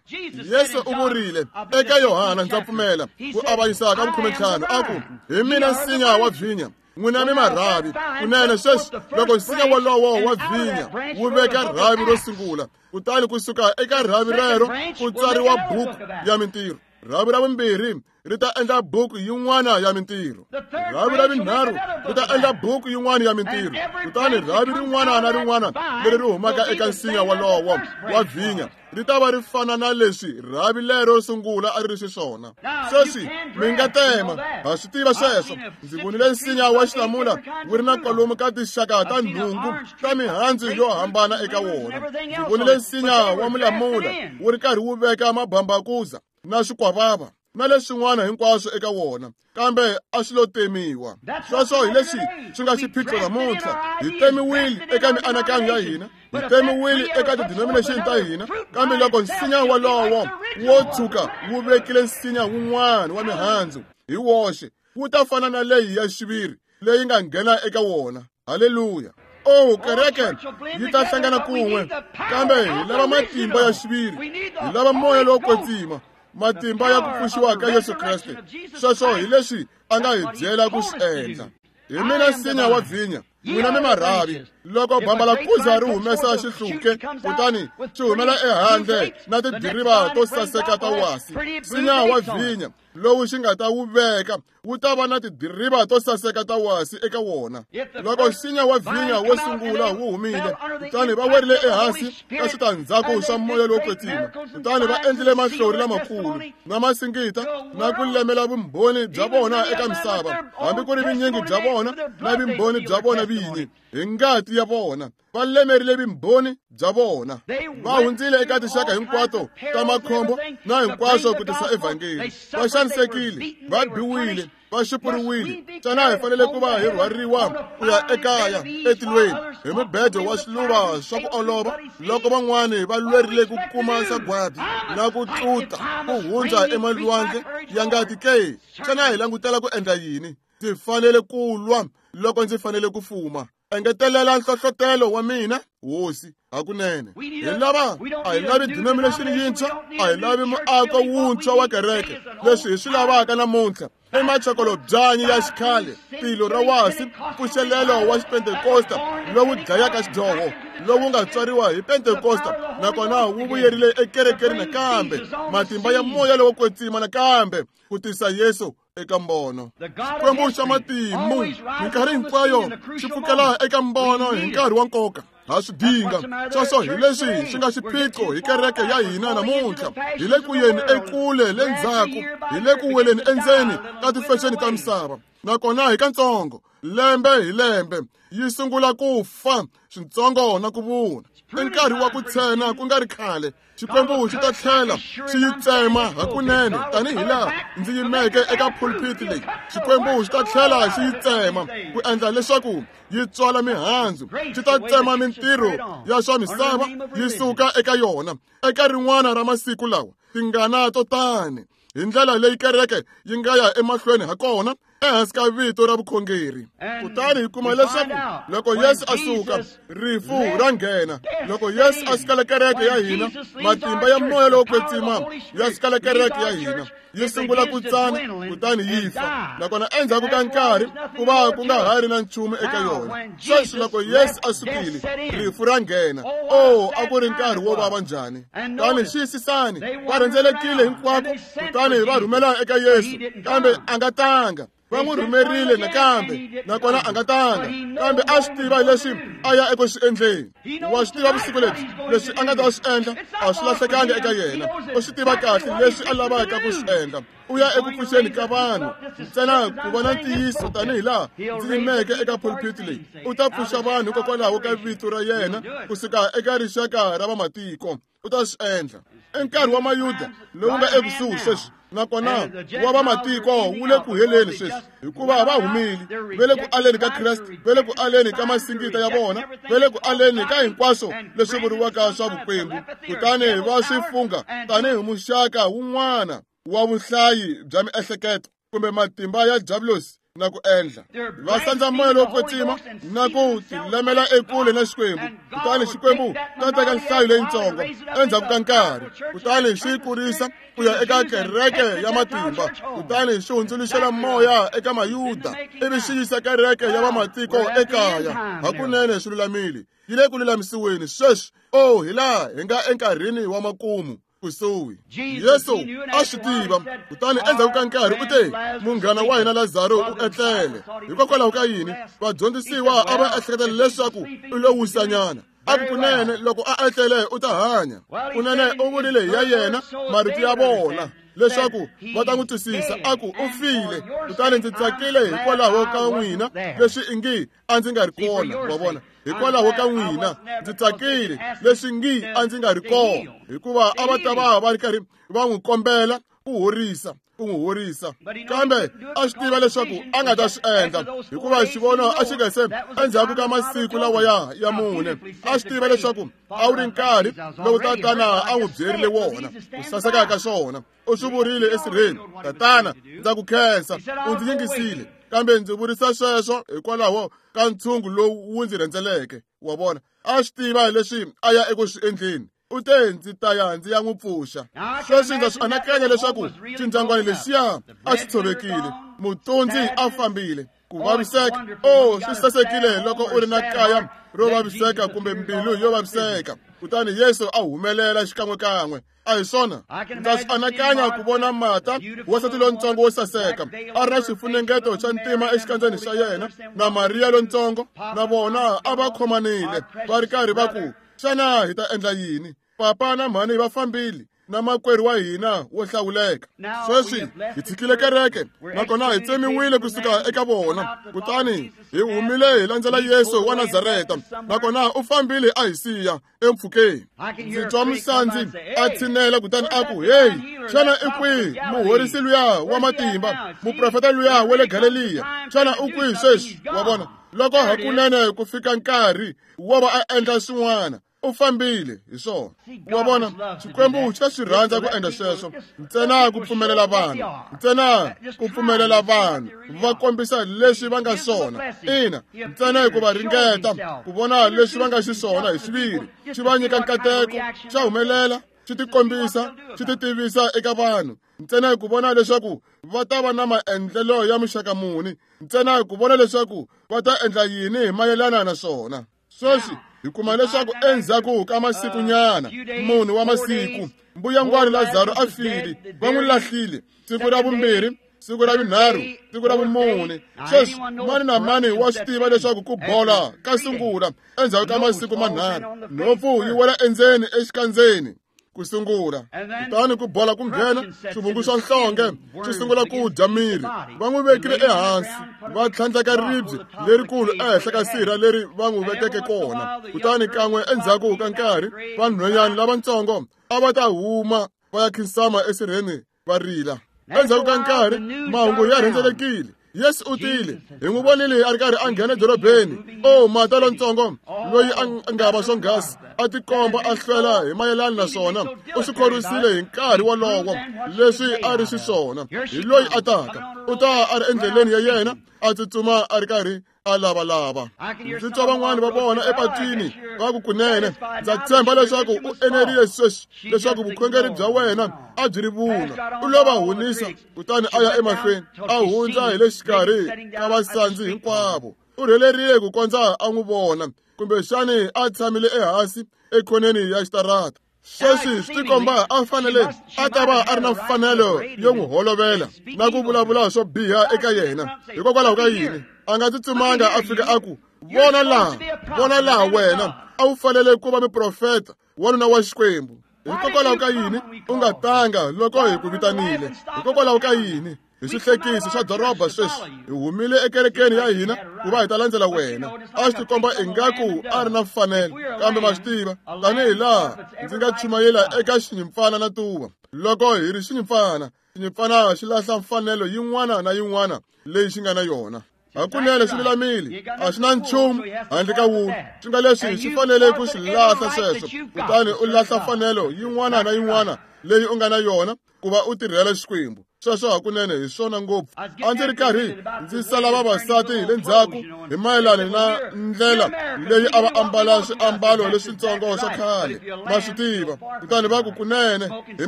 Yesu u vurile eka Yohana, ndza pfumela, ku avanyisa ka 15, a ku, hi mina nsinya wa vhinya, n'wina mi marhavi. Kunene sweswi loko nsinya wolowo wa vhinya wu veka rhavi ro sungula, kutani kusuka eka rhavi rero ku tsariwa buku ya mintirho. Rhavi ra vumbirhi ri ta endla buku yin'wana ya mintirho. Rhavi ra vunharhu ri ta endla buku yin'wana ya mintirho. Kutani rhavi rin'wana na rin'wana leri ri humaka eka nsinya wolowo wa vhinya ri ta va ri fana na leswi rhavi lero sungula a ri ri xiswona. Sweswi mi nga tema, ha swi tiva sweswo. Ndzi vonile nsinya wa xilamula wu ri na kwalomu ka tinxaka ta nhungu ta mihandzu yo hambana eka wona. Ndzi vonile nsinya wa mulamula wu ri karhi wu veka mabambakuza na swikwavava na leswin'wana hinkwaswo eka wona, kambe a swi lo temiwa. Sweswo hi leswi swi nga xiphiqo namuntlha. Hi temiwile eka mianakanyo ya hina, hi temiwile eka ti-denomination ta hina, kambe loko nsinya wolowo wo tshuka wu vekile nsinya wun'wana wa mihandzu hi woxe, wu ta fana na leyi ya xiviri leyi nga nghena eka wona. Haleluya! Oh, kereke yi ta hlangana kun'we, kambe hi lava matimba ya xiviri, hi lava moya lowo kwetsima, matimba ya ku pfuxiwa ka Yesu Kreste. Sweswo hi leswi a nga hi byela ku swi endla. Hi mina nsinya wa vhinya, n'wina mi marhavi. Loko bambalakuza ri humesa xihluke, kutani xi humela ehandle na tidiriva to saseka ta wasi, nsinya wa vhinya lowu xi nga ta wu veka wu ta va na tidiriva to saseka ta wasi eka wona. Loko nsinya wa vhinya wo sungula wu humile, kutani va werile ehansi ka switandzhaku swa moya lowo kwetsima, kutani va endlile mahlori lamakulu na masingita na ku lemela vumbhoni bya vona eka misava, hambi ku ri vunyingi bya vona na vumbhoni bya vona vinyi hi ngati ya vona. Va lemerile vumbhoni bya vona. Va hundzile eka tinxaka hinkwato ta makhombo na hinkwaswo ku tisa evhangeli. Va xanisekile, va biwile, va xupuriwile. Xana hi fanele ku va hi rhwariwa ku ya ekaya etilweni hi mubedo wa swiluva swa ku olova, loko van'wani va lwerile ku kuma sagwadi na ku tluta ku hundza emalwandle ya ngati ke? Xana hi langutela ku endla yini? Ndzi fanele ku lwa loko ndzi fanele ku fuma. Engetelela nhlohlotelo wa mina, Hosi, hakunene. Hi lava, a hi lavi denomination yintshwa, a hi lavi muako wuntshwa wa kereke. Leswi hi swi lavaka namuntlha i machokolobyanyi ya xikhale, tilo ra wasi, mpfuxelelo wa xipentekosta lowu dlayaka xidyoho, lowu nga tswariwa hi Pentekosta nakona wu vuyerile ekerekeni nakambe, matimba ya moya lowo kwetsima nakambe ku tisa Yesu eka mbono. Xikwembu xa matimu minkarhi hinkwayo xi pfukela eka mbono hi nkarhi wa nkoka. Ha swi dinga. Sweswo hi leswi swi nga xiphiqo hi kereke ya hina namuntlha. Hi le ku yeni ekule le ndzhaku, hi le ku weleni endzeni ka tifexeni ta misava, nakona hi katsongo lembe hi lembe yi sungula ku fa switsongo na ku vuna. I nkarhi wa ku tshena ku nga ri khale, Xikwembu xi ta tlhela xi yi tsema hakunene tanihi laha ndzi yimeke eka pulpit leyi. Xikwembu xi ta tlhela xi yi tsema ku endla leswaku yi tswala mihandzu. Xi ta tsema mintirho ya swa misava yi suka eka yona eka rin'wana ra masiku lawa. Tingana to tani hi ndlela leyi kereke yi nga ya emahlweni ha kona ehansi ka vito ra vukhongeri. Kutani hi kuma leswaku loko Yesu a suka, rifu ra nghena. Loko Yesu a sukela kereke ya hina, matimba ya moya lowo kwetsima ya sukela kereke ya hina. Yi sungula ku tsana kutani yi fa, nakona endzhaku ka nkarhi ku va ku nga ha ri na nchumu eka yona. Sweswi loko Yesu a sukile, rifu ra nghena. O, a ku ri nkarhi wo vava njhani! Kutani xiyisisani, va rhendzelekile hinkwako, kutani va rhumela eka Yesu, kambe a nga tanga. Va n'wi rhumerile nakambe, nakona a nga tanga, kambe a swi tiva leswi a ya eku swi endleni. Wa swi tiva vusiku lebyi leswi a nga ta swi endla a swi lahlekanga eka yena. U swi tiva kahle leswi a lavaka ku swi endla. U ya eku pfuxeni ka vanhu ntsena ku va na ntiyiso, tanihi laha ndzi yimeke eka pulpit leyi. U ta pfuxa vanhu hikokwalaho ka vito ra yena kusuka eka rixaka ra vamatiko. U ta swi endla. I nkarhi wa Mayuda lowu nga ekusuhi sweswi, nakona wa vamatiko wu le ku heleni sweswi, hikuva va humile, va le ku aleni ka Kreste, va le ku aleni ka masingita ya vona, va le ku aleni ka hinkwaswo leswi vuriwaka swa vukwembu, kutani va swi fungha tanihi muxaka wun'wana wa vuhlayi bya miehleketo kumbe matimba ya diabulosi na ku endla. Va sandza moya lowo kwetsima na ku tilemela ekule na Xikwembu, kutani Xikwembu ta teka nhlayo leyintsongo endzhaku ka nkarhi, kutani xi yi kurisa ku ya eka kereke ya matimba, kutani xi hundzuluxela moya eka Mayuda, ivi xi yisa kereke ya vamatiko ekaya. Hakunene swi lulamile, yi le ku lulamisiweni sweswi. O, hi laha hi nga enkarhini wa makumu kusuhi. Yesu a swi tiva, kutani endzhaku ka nkarhi u te, munghana wa hina Lazaro u etlele. Hikokwalaho ka yini? Vadyondzisiwa a va ehleketa leswaku u lo wisanyana. A ku kunene loko a etlele u ta hanya. Kunene u vurile hi ya yena marito ya vona leswaku va ta n'wi twisisa, a ku u file, kutani ndzi tsakile hikwalaho ka n'wina leswi ingi a ndzi nga ri kona. Wa vona, hikwalaho ka n'wina ndzi tsakile leswi ngi a ndzi nga ri kona, hikuva a va ta va va ri karhi va n'wi kombela ku horisa, ku n'wi horisa. Kambe a swi tiva leswaku a nga ta swi endla, hikuva xivono a xi nga se endzhaku ka masiku lawa ya mune. A swi tiva leswaku a wu ri nkarhi lowu tatana a n'wi byerile wona ku saseka ka swona. U swi vurile esirheni, tatana, ndza ku khensa, u ndzi yingisile, kambe ndzi vurisa sweswo hikwalaho ka ntshungu lowu wu ndzi rhendzeleke. Wa vona, a swi tiva leswi a ya eku swi endleni. U te, ndzi ta ya ndzi ya n'wi pfuxa. Sweswi ndza swi anakanya leswaku xindyangwana lexiya a xi tshovekile, mutundzi a fambile, ku vaviseka. O, swi sasekile loko u ri na kaya ro vaviseka kumbe mbilu yo vaviseka. Kutani Yesu a humelela xikan'wekan'we. A hi swona? Ndza swi anakanya ku vona Marta, wansati lontsongo wo saseka, a ri na xifunengeto xa ntima exikandzeni xa yena, na Mariya lontsongo, na vona a va khomanile, va ri karhi va ku, xana hi ta endla yini? Papa na mhani va fambile na makwerhu wa hina wo hlawuleka. Sweswi hi tshikile kereke, nakona hi tsemiwile kusuka eka vona, kutani hi humile hi landzela Yesu wa Nazareta, nakona u fambile a hi siya empfhukeni. Ndzi twa musandzi a tshinela kutani a ku, heyi, xana i kwihi muhorisi luya wa matimba, muprofeta luya wa le Galeliya? Xana u kwihi sweswi? Wa vona, loko hakunene ku fika nkarhi wo va a endla swin'wana, u fambile hi swona. Wa vona, Xikwembu xa swi rhandza ku endla sweswo, ntsena ku pfumelela vanhu, ntsena ku pfumelela vanhu va kombisa leswi va nga swona. Ina, ntsena hikuva ringeta ku vona leswi va nga xiswona hi xiviri, xi va nyika nkateko, xa humelela, xi tikombisa, xi titivisa eka vanhu, ntsena ku vona leswaku va ta va na maendlelo ya muxaka muni, ntsena ku vona leswaku va ta endla yini hi mayelana na swona. Sweswi hi kuma leswaku endzhaku ka masikunyana, munhu wa masiku, mbuyangwani Lazaro a file, va n'wi lahlile siku ra vumbirhi, siku ra vunharhu, siku ra vumune. Sweswi mani na mani wa swi tiva leswaku ku bola ka sungula endzhaku ka masiku manharhu, nhompfu yi wela endzeni exikandzeni ku sungula, kutani ku bola ku nghena, swivungu swa nhlonge swi sungula ku dya miri. Va n'wi vekile ehansi, va tlhandleka ribye lerikulu ehenhla ka sirha leri va n'wi vekeke kona. Kutani kan'we endzhaku ka nkarhi, vanhwanyana lavatsongo a va ta huma va ya khinsama esirheni va rila. Endzhaku ka nkarhi, mahungu ya rhendzelekile. Yesu u tile, hi n'wi vonile a ri karhi a nghena edorobeni. O, Marta lontsongo loyi a nga va swonghasi, a tikomba a hlwela hi mayelana na swona, u swi khorwisile hi nkarhi wolowo leswi a ri xiswona. Hi loyi a taka, u ta a ri endleleni ya yena, a tsutsuma a ri karhi a lavalava. Ndzi twa van'wani va vona epatwini va ku kunene ndza tshemba leswaku u enerile sweswi leswaku vukhongeri bya wena a byi ri vunwa. U lo va hunisa kutani a ya emahlweni a hundza hi le xikarhi ka vasandzi hinkwavo. U rhelerile ku kondza a n'wi vona kumbexani a tshamile ehansi ekhoneni ya xitarata. Sweswi swi tikomba a fanele a ta va a ri na mfanelo yo n'wi holovela na ku vulavula swo biha eka yena. Hikokwalaho ka yini a nga tsutsumanga a fika a ku, vona laha wena a wu fanele ku va muprofeta wanuna wa Xikwembu. Hikokwalaho ka yini u nga tanga loko hi ku vitanile? Hikokwalaho ka yini hi swihlekisi swa doroba sweswi hi humile ekerekeni ya hina ku va hi ta landzela wena? A swi tikomba ingaku a ri na mfanelo, kambe ma swi tiva tanihi laha ndzi nga chumayela eka xinyimpfana na tuva. Loko hi ri xinyimpfana, xinyimpfana xi lahla mfanelo yin'wana na yin'wana leyi xi nga na yona. Hakunene swi lulamile, a swi na nchumu handle ka wulu. Swi nga leswi swi fanele ku swi lahla sweswo, kutani u lahla mfanelo yin'wana na yin'wana leyi u nga na yona ku va u tirhela Xikwembu. Sweswo hakunene hi swona ngopfu. A ndzi ri karhi ndzi sala vavasati hi le ndzhaku hi mayelana na ndlela leyi a va ambala swiambalo leswitsongo swa khale, ma swi tiva. Kutani va ku kunene hi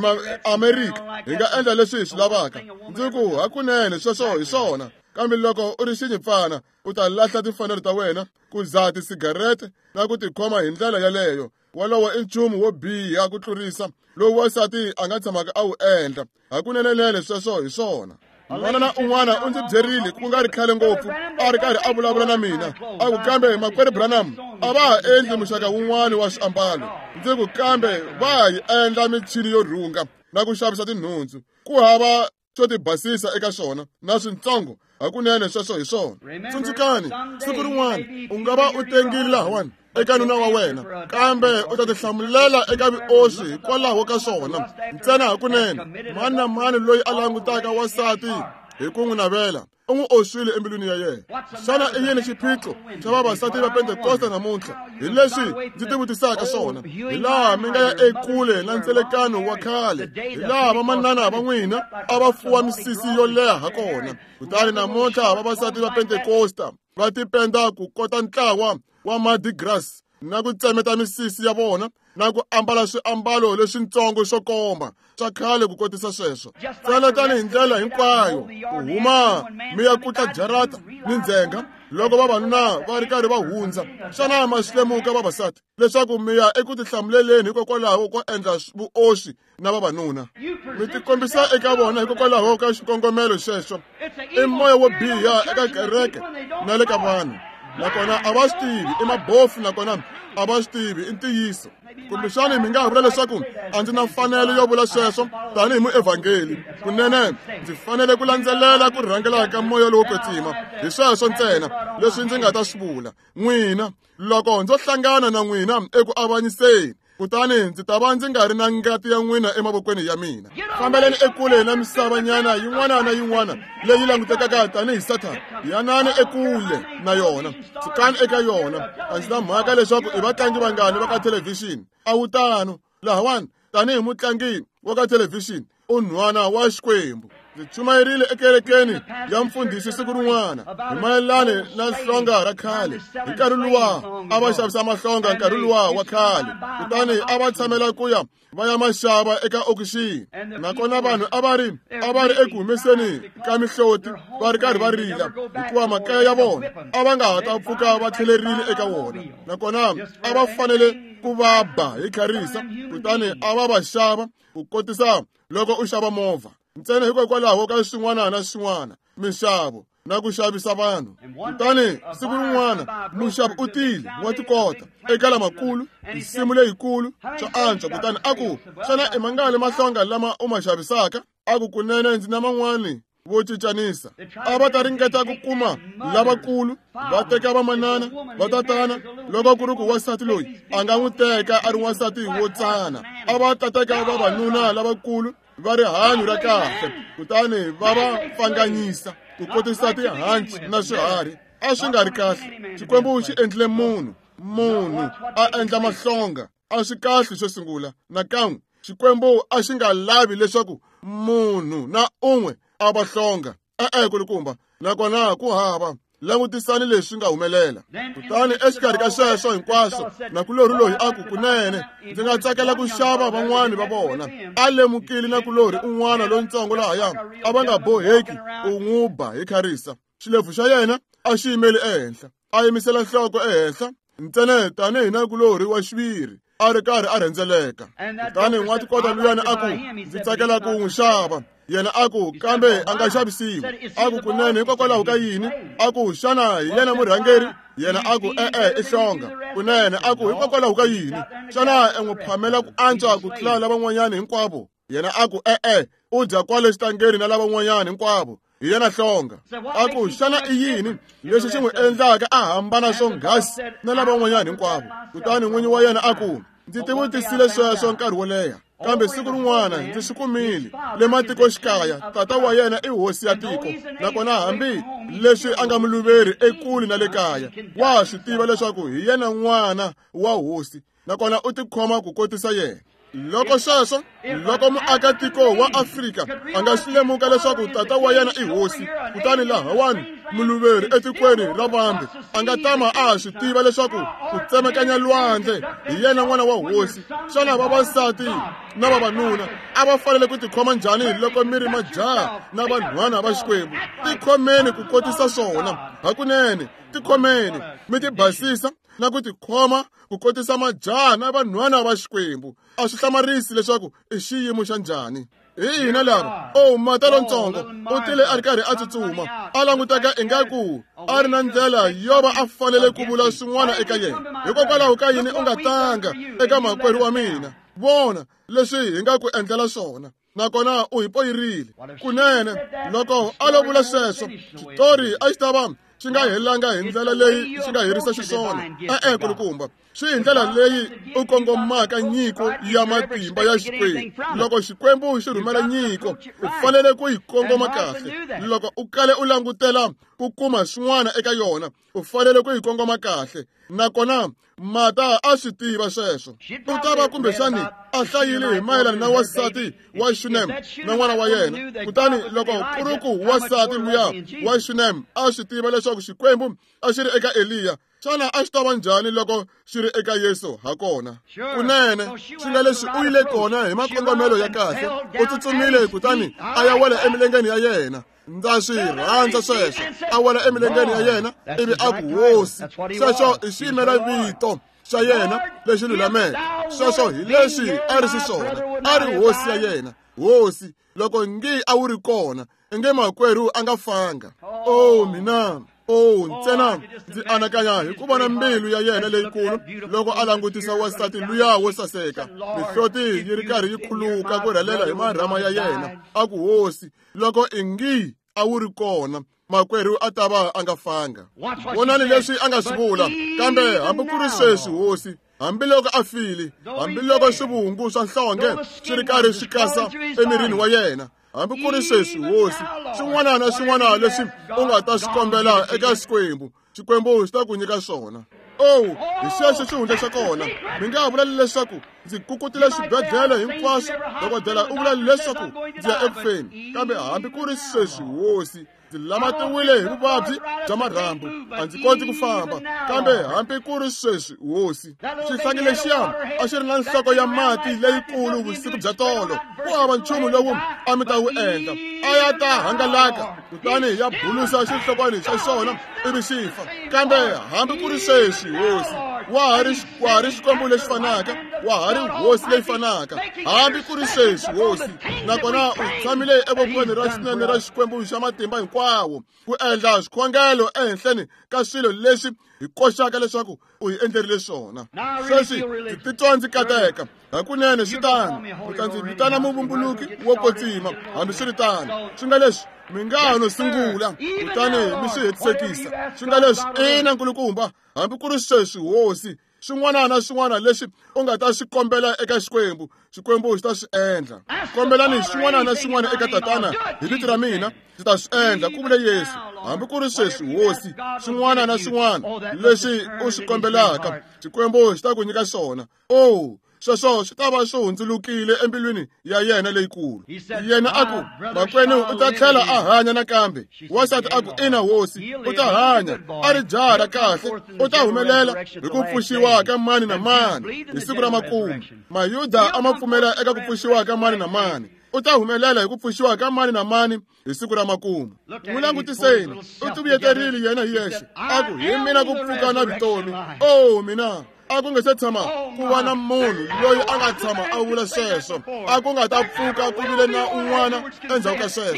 Maamerika hi nga endla leswi hi swi lavaka. Ndzi ku hakunene sweswo hi swona, kambe loko u ri xinyimpfana u ta lahla timfanelo ta wena ku dzaha tisigarete na ku tikhoma hi ndlela yaleyo. Walowo i nchumu wo biha ku tlurisa lowu wansati a nga tshamaka a wu endla. Hakunenenene sweswo hi swona. Un'wana na un'wana u ndzi byerile ku nga ri khale ngopfu a ri karhi a vulavula na mina a ku, kambe makwerhu Branham a va ha endli muxaka wun'wana wa swiambalo. Ndzi ku, kambe va ha yi endla michini yo rhunga na ku xavisa tinhundzu. Ku hava swo tibasisa eka swona na swintsongo. Hakunene sweswo hi swona. Tsundzukani, siku rin'wana u nga va u tengile lahawani eka nuna wa wena, kambe u ta tihlamulela eka vuoswi hikwalaho ka swona ntsena. Hakunene mani na mani loyi a langutaka wansati hi ku n'wi navela u n'wi oswile embilwini ya yena. Xana i yini xiphiqo xa vavasati va Pentekosta namuntlha? Hi leswi ndzi tivutisaka swona. Hi laha mi nga ya ekule na ntselekano wa khale, hi laha vamanana va n'wina a va fuwa misisi yo leha hakona. Kutani namuntlha vavasati va Pentekosta va tipenda ku kota ntlawa wa Mardi Gras na ku tsemeta misisi ya vona na ku ambala swiambalo leswintsongo swo komba swa khale ku kotisa sweswo. Ntsena tanihi ndlela hinkwayo ku huma mi ya kutla jarata ni ndzhenga loko vavanuna va ri karhi va hundza. Xana ma swi lemuka vavasati leswaku mi ya eku tihlamuleleni hikokwalaho ko endla vuoswi na vavanuna? Mi tikombisa eka vona hikokwalaho ka xikongomelo xexo. I moya wo biha eka kereke na le ka vanhu, nakona a va swi tivi. I mabofu nakona a va swi tivi. I ntiyiso. Kumbexani mi nga ha vula leswaku a ndzi na mfanelo yo vula sweswo tanihi muevhangeli. Kunene ndzi fanele ku landzelela ku rhangela ka moya lowo kwetsima. Hi sweswo ntsena leswi ndzi nga ta swi vula. N'wina, loko ndzo hlangana na n'wina eku avanyiseni, kutani ndzi ta va ndzi nga ri na ngati ya n'wina emavokweni ya mina. Fambeleni ekule na misavanyana yin'wana na yin'wana leyi langutekaka tanihi Sathana. Yanani ekule na yona, sukani eka yona. A ndzi na mhaka leswaku i vatlangi vangani va ka thelevhixini. A wu tano lahawani tanihi mutlangi wa ka thelevhixini, u nhwana wa Xikwembu. Ndzi chumayerile ekerekeni ya mfundhisi siku rin'wana hi mayelana na hlonga ra khale. Hi nkarhi luwa a va xavisa mahlonga nkarhi luwa wa khale, kutani a va tshamela ku ya va ya maxava eka okixini. Nakona vanhu a va ri eku humeseni ka mihloti va ri karhi va rila hikuva makaya ya vona a va nga ha ta pfuka va tlhelerile eka wona. Nakona a va fanele ku va ba hi kharisa, kutani a va va xava ku kotisa loko u xava movha. Ntsena hikokwalaho ka swin'wana na swin'wana, minxavo na ku xavisa vanhu. Kutani siku rin'wana muxavi u tile wa tikota eka lamakulu, nsimu leyikulu swa antswa. Kutani a ku, xana i mangani mahlonga lama u ma xavisaka? A ku, kunene ndzi na man'wani vo cincanisa. A va ta ringeta ku kuma lavakulu, va teka vamanana, vatatana. Loko ku ri ku wansati loyi a nga n'wi teka a ri wansati wo tsana, a va ta teka vavanuna lavakulu va rihanyo ra kahle, kutani va va pfanganyisa ku kotisa tihanci na swiharhi. A swi nga ri kahle. Xikwembu xi endlile munhu a endla mahlonga. A swi kahle xo sungula. Nakan'we Xikwembu a xi nga lavi leswaku munhu na un'we a va hlonga. E-e kulukumba, nakona ku hava. Langutisani leswi nga humelela. Kutani exikarhi ka sweswo hinkwaswo, nakulorhi loyi a ku, kunene ndzi nga tsakela ku xava van'wani va vona. A lemukile nakulorhi un'wana lontsongo lahaya a va nga boheki ku n'wi ba hi kharisa. Xilebvu xa yena a xi yimeli ehenhla, a yimisela nhloko ehenhla ntsena tanihi nakulorhi wa xiviri a ri karhi a rhendzeleka. Kutani n'watikota luyani a ku, ndzi tsakela ku n'wi xava. Yena a ku, kambe a nga xavisiwi. A ku, kunene hikokwalaho ka yini? A ku, xana hi yena murhangeri? Yena a ku, e-e, i hlonga. Kunene a ku, hikokwalaho ka yini? Xana e n'wi phamela ku antswa ku tlula lavan'wanyana hinkwavo? Yena a ku, e-e, u dya kwale xitangeni na lavan'wanyana hinkwavo. Hi yena hlonga. A ku, xana i yini lexi xi n'wi endlaka a hambana swonghasi na lavan'wanyana hinkwavo? Kutani n'winyi wa yena a ku, ndzi tivutisile sweswo nkarhi wo leha, kambe siku rin'wana ndzi swi kumile. Le matikoxikaya, tata wa yena i hosi ya tiko, nakona hambi leswi a nga muluveri ekule na le kaya, wa swi tiva leswaku hi yena n'wana wa hosi, nakona u tikhoma ku kotisa yena. Loko sweswo, loko muakatiko wa Afrika a nga swi lemuka leswaku tata wa yena i hosi, kutani lahawani muluveri etikweni ra vambe a nga tama a swi tiva leswaku ku tsemakanya lwandle hi yena n'wana wa hosi, xana vavasati na vavanuna a va fanele ku tikhoma njhani loko mi ri majaha na vanhwana va Xikwembu? Tikhomeni ku kotisa swona. Hakunene, tikhomeni mi tibasisa na ku tikhoma ku kotisa majaha na vanhwana va Xikwembu. A swi hlamarisi leswaku i xiyimo xa njhani. Hi hina lava. O, mata lontsongo u tile a ri karhi a tsutsuma, a languteka ingaku a ri na ndlela yo va a fanele ku vula swin'wana eka yena. Hikokwalaho ka yini u nga tanga eka makwerhu wa mina? Vona leswi hi nga ku endlela swona. Nakona u hi poyirile. Kunene loko a lo vula sweswo, xitori a xi ta va xi nga helanga hi ndlela leyi xi nga herisa xiswona. E-e, kulukumba, swi hi ndlela leyi u kongomaka nyiko ya matimba ya Xikwembu. Loko Xikwembu xi rhumela nyiko, u fanele ku yi kongoma kahle. Loko u kale u langutela ku kuma swin'wana eka yona, u fanele ku yi kongoma kahle. Nakona Mata a swi tiva sweswo. U ta va kumbexani a hlayile hi mayelana na wansati wa Shunem na n'wana wa yena. Kutani loko ku ri ku wansati luya wa Shunem a swi tiva leswaku Xikwembu a xi ri eka Eliya, xana a xi ta va njhani loko xi ri eka Yesu hakona? Kunene, swi nga leswi u yile kona hi makongomelo ya kahle, u tsutsumile kutani a ya wela emilengeni ya yena. Ndza swi rhandza sweswo. A wela emilengeni ya yena ivi a ku, hosi. Sweswo i xiyimela vito xa yena lexi lulameke. Sweswo hi leswi a ri xiswona. A ri hosi ya yena. Hosi, loko ngi a wu ri kona, inge makwerhu a nga fanga. O, mina! O, ntsena ndzi anakanya hi ku vona mbilu ya yena leyikulu loko a langutisa wansati luya wo saseka, mihloti yi ri karhi yi khuluka ku rhelela hi marhama ya yena. A ku, hosi, loko ingi a wu ri kona, makwerhu a ta va a nga fanga. Vonani leswi a nga swi vula. Kambe hambi ku ri sweswi, hosi, hambiloko a file, hambiloko swivungu swa nhlonge swi ri karhi swi kasa emirini wa yena, hambi ku ri sweswi, hosi, swin'wana na swin'wana leswi u nga ta swi kombela eka Xikwembu, Xikwembu xi ta ku nyika swona. Oh, hi xexo xihundla xa kona. Mi nga vula leswaku ndzi kukutile xibedhlele hinkwaswo, dokodela u vula leswaku ndzi ya ekufeni, kambe hambi ku ri sweswi, hosi, ndzi lamatiwile hi vuvabyi bya marhambu, a ndzi koti ku famba, kambe hambi ku ri sweswi, hosi. Xihlangi lexiya a xi ri na nhloko ya mati leyikulu vusiku bya tolo, ku hava nchumu lowu a mi ta wu endla, a ya ta hangalaka kutani ya bulusa xihlokwani xa xona ivi xi fa. Kambe hambi ku ri sweswi, hosi, wa ha ri Xikwembu lexi fanaka, wa ha ri hosi leyi fanaka, hambi ku ri sweswi, hosi. Nakona u tshamile evokweni ra xinene ra Xikwembu xa matimba hinkwawo ku endla swikhongelo ehenhleni ka swilo leswi hi koxaka leswaku u hi endlerile swona. Sweswi ndzi titwa ndzi kateka. Hakunene swi tano. U ta ndzi vitana muvumbuluki wo kwetsima. Hambiswiritano, swi nga leswi mi nga ha no sungula kutani mi swi hetisekisa. Swi nga leswi, ina, nkulukumba, hambi ku ri sweswi, hosi, swin'wana na swin'wana leswi u nga ta swi kombela eka Xikwembu, Xikwembu xi ta swi endla. Kombelani xin'wana na xin'wana eka Tatana hi vito ra mina, ndzi ta swi endla, ku vule Yesu. Hambi ku ri sweswi, hosi, swin'wana na swin'wana leswi u swi kombelaka, Xikwembu xi ta ku nyika swona. Oh, Sweswo swi ta va swi hundzulukile embilwini ya yena leyikulu. Yena a ku, makwenu u ta tlhela a hanya nakambe. Wansati a ku, ina hosi, u ta hanya, a ri jaha ra kahle, u ta humelela hi ku pfuxiwa ka mani na mani hi siku ra makumu. Mayuda a ma pfumela eka ku pfuxiwa ka mani na mani. U ta humelela hi ku pfuxiwa ka mani na mani hi siku ra makumu. N'wi langutiseni, u tivuyeterile yena hi yexe, a ku, hi mina ku pfuka na vutomi. Oh mina, a ku nga se tshama ku va na munhu loyi a nga tshama a vula sweswo. A ku nga ta pfuka ku vile na un'wana endzhaku ka sweswo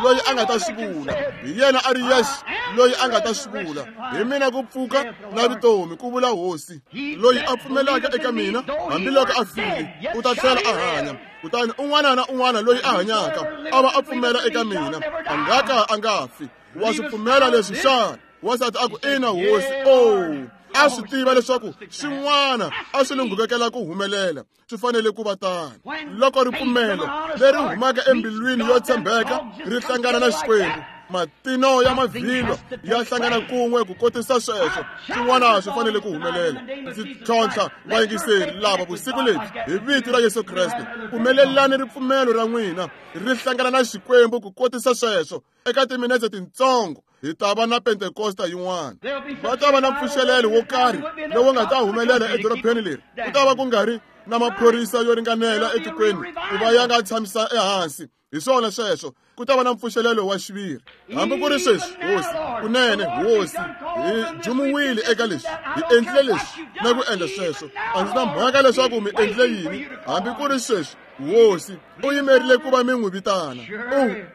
loyi a nga ta swi vula. Hi yena a ri yexe loyi a nga ta swi vula. Hi mina ku pfuka na vutomi, ku vula hosi. Loyi a pfumelaka eka mina, hambiloko a file, u ta tlhela a hanya. Kutani un'wana na un'wana loyi a hanyaka a va a pfumela eka mina, a nga ka a nga fi. Wa swi pfumela leswi xana? Wansati a ku, ina hosi. Oh, a swi tiva leswaku swin'wana a swi lunghekela ku humelela, swi fanele ku va tano. Loko ripfumelo leri humaka embilwini yo tshembeka ri hlangana na Xikwembu, matino ya mavhilwa ya hlangana kun'we ku kotisa sweswo, swin'wana swi fanele ku humelela. Ndzi tlhontlha vayingiseri lava vusiku lebyi hi vito ra Yesu Kreste, pfumelelani ripfumelo ra n'wina ri hlangana na Xikwembu ku kotisa sweswo. Eka timinetse tintsongo hi ta va na Pentekosta yin'wana. Va ta va na mpfuxelelo wo karhi lowu nga ta humelela edorobeni leri. Ku ta va ku nga ri na maphorisa yo ringanela etikweni ku va ya nga tshamisa ehansi. Hi swona sweswo, ku ta va na mpfuxelelo wa xiviri. Hambi ku ri sweswi, hosi, kunene hosi, hi jumuwile eka leswi, hi endlile leswi na ku endla sweswo. A ndzi na mhaka leswaku mi endlile yini, hambi ku ri sweswi, hosi u yimerile ku va mi n'wi vitana.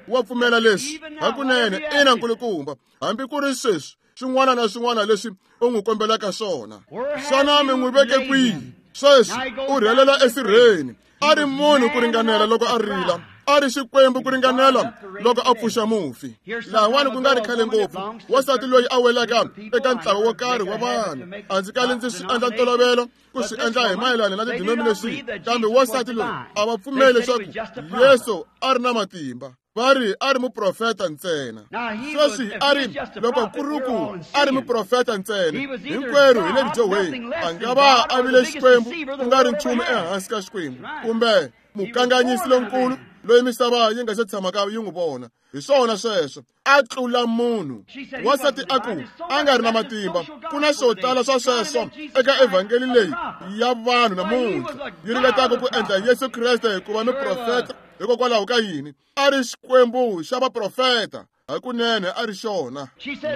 U wa pfumela leswi hakunene? Ina nkulukumba. Hambi ku ri sweswi, swin'wana na swin'wana leswi u n'wi kombelaka swona, xana mi n'wi veke kwihi? Sweswi u rhelela esirheni. A ri munhu ku ringanela loko a rila, a ri Xikwembu ku ringanela loko a pfuxa mufi. Lahawani ku nga ri khale ngopfu, wansati loyi a welaka eka ntlawa wo karhi wa vanhu, a ndzi kali ndzi swi endla ntolovelo ku swi endla hi mayelana na tidenomination, kambe wansati loyi a va pfumeli leswaku Yesu a ri na matimba. Va ri a ri muprofeta ntsena. Sweswi a ri, loko ku ri ku a ri muprofeta ntsena, hinkwerhu hi le vudyohweni. A nga va a vile Xikwembu ku nga ri nchumu ehansi ka Xikwembu, kumbe mukanganyisi lonkulu loyi misava yi nga se tshamaka yi n'wi vona. Hi swona sweswo, a tlula munhu. Wansati a ku, a nga ri na matimba. Ku na swo tala swa sweswo eka evhangeli leyi ya vanhu namuntlha yi ringetaka ku endla Yesu Kreste ku va muprofeta. Hikokwalaho ka yini? A ri Xikwembu xa vaprofeta, hakunene a ri xona.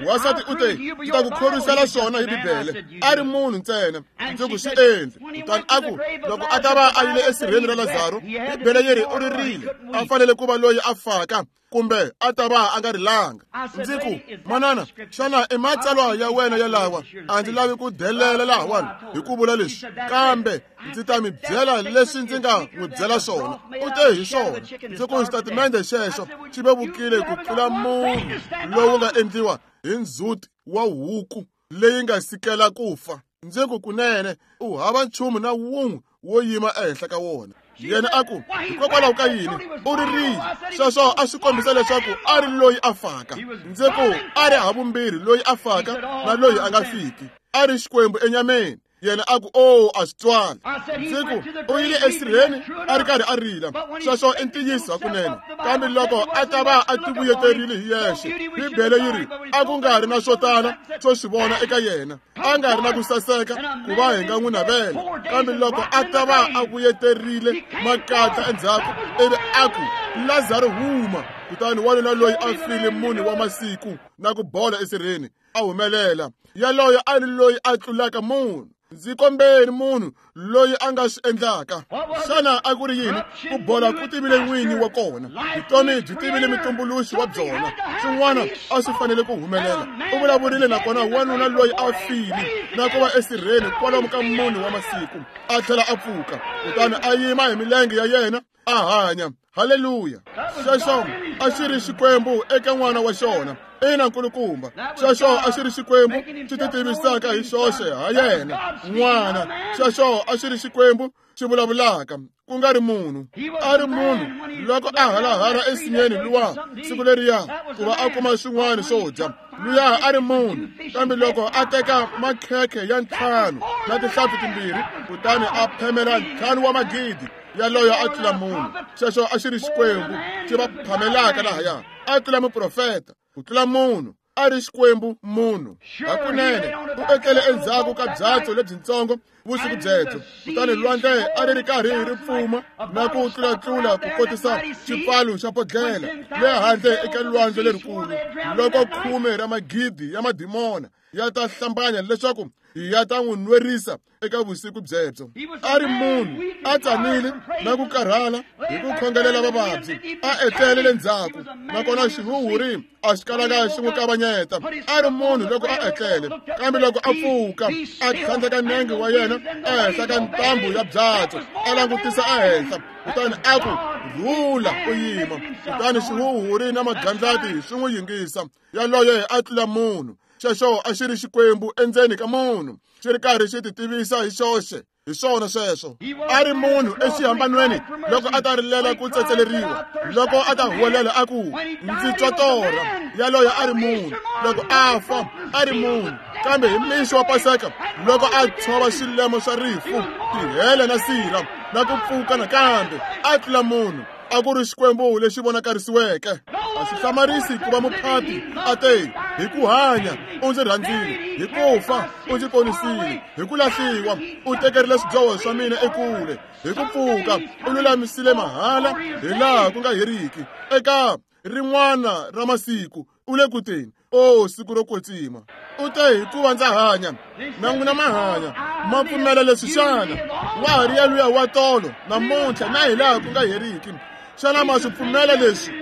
Wansati u te, ndzi ta ku khorwisela swona hi Bibele. A ri munhu ntsena, ndzi ku swi endli. Kutani a ku, loko a ta va a yile esirheni ra Lazaro, Bibele yi ri u ririle, a fanele ku va loyi a faka, kumbe a ta va a nga rilanga. Ndzi ku, manana, xana i matsalwa ya wena yalawa? A ndzi lavi ku delela lahawani hi ku vula leswi, kambe ndzi ta mi byela leswi ndzi nga n'wi byela swona. U te hi swona. Ndzi ku xitatimende xexo xi vevukile ku tlula munhu lowu nga endliwa hi ndzhuti wa huku leyi nga sikela ku fa. Ndzi ku kunene u hava nchumu na wun'we wo yima ehenhla ka wona. Yena a ku, hikokwalaho ka yini u ririle? Sweswo a swi kombisa leswaku a ri loyi a faka. Ndzi ku a ri havumbirhi loyi a faka na loyi a nga fiki. A ri Xikwembu enyameni. Yena a ku, oh, a swi twali. Ndzi ku u yile esirheni a ri karhi a rila. Sweswo i ntiyiso hakunene. Kambe loko a ta va a tivuyeterile hi yexe, Bibele yi ri a ku nga ri na swo tala swo swi vona eka yena, a nga ri na ku saseka ku va hi nga n'wi navela. Kambe loko a ta va a vuyeterile makatla endzhaku, ivi a ku, Lazaro huma, kutani wanuna loyi a file mune wa masiku na ku bola esirheni a humelela. Yaloyo a ri loyi a tlulaka munhu. Ndzi kombeni munhu loyi a nga swi endlaka. Xana a ku ri yini? Ku bola ku tivile n'winyi wa kona, vutomi byi tivile mutumbuluxi wa byona. Swin'wana a swi fanele ku humelela. U vulavurile nakona wanuna loyi a file na ku va esirheni kwalomu ka mune wa masiku, a tlhela a pfuka, kutani a yima hi milenge ya yena a hanya. Haleluya! Xexo a xi ri Xikwembu eka n'wana wa xona. Ina nkulukumba, xexo a xi ri Xikwembu xi ti tivisaka hi xoxe ha yena n'wana. Xexo a xi ri Xikwembu xi vulavulaka, ku nga ri munhu. A ri munhu loko a halahala ensinyeni luwa siku leriya ku va a kuma swin'wana swo dya. Luya a ri munhu, kambe loko a teka makhekhe ya 5 na tihlampfi 2 kutani a phemela 5 wa magidi, yaloyo a tlula munhu. Xexo a xi ri Xikwembu xi va phamelaka lahaya. A tlula muprofeta, ku tlula munhu. A ri Xikwembu munhu. Hakunene u etlele endzhaku ka byatso lebyintsongo vusiku byebyo, kutani lwandle a ri ri karhi ri pfuma na ku tlulatlula ku kotisa xipfalo xa bodlhela le handle eka lwandle lerikulu. Loko 10 ra magidi ya madimona ya ta hlambanya leswaku ya ta n'wi nwerisa eka vusiku byebyo. A ri munhu, a tsanile na ku karhala hi ku khongelela vavabyi, a etlele le ndzhaku, nakona xihuhuri a xi kalanga xi n'wi kavanyeta. A ri munhu loko a etlele, kambe loko a pfuka a tlhandleka nenge wa yena ehenhla ka ntambu ya byatso, a langutisa ehenhla, kutani a ku, "Rhula, u yima." Kutani xihuhuri na magandlati swi n'wi yingisa. Yaloye a tlula munhu. Xexo a xi ri Xikwembu endzeni ka munhu, xi ri karhi xi ti tivisa hi xoxe. Hi swona sweswo. A ri munhu exihambanweni loko a ta rilela ku tsetseleriwa, loko a ta huwelela a ku, "Ndzi twa torha." Yaloye a ri munhu. Loko a fa, a ri munhu. Kambe hi mixo wa Paseka, loko a tshova xilemo xa rifu, tihele na sirha, na ku pfuka nakambe, a tlula munhu. A ku ri Xikwembu lexi vonakarisiweke. A swi hlamarisi ku va muphati a te, "Hi ku hanya u ndzi rhandzile, hi ku fa u ndzi ponisile, hi ku lahliwa u tekerile swidyoho swa mina ekule, hi ku pfuka u lulamisile mahala hi laha ku nga heriki." Eka rin'wana ra masiku u le ku teni, o siku ro kwetsima. U te, "Hikuva ndza hanya, na n'wina ma hanya." Ma pfumela leswi xana? Wa ha ri yaluya wa tolo, namuntlha, na hi laha ku nga heriki. Xana ma swi pfumela leswi?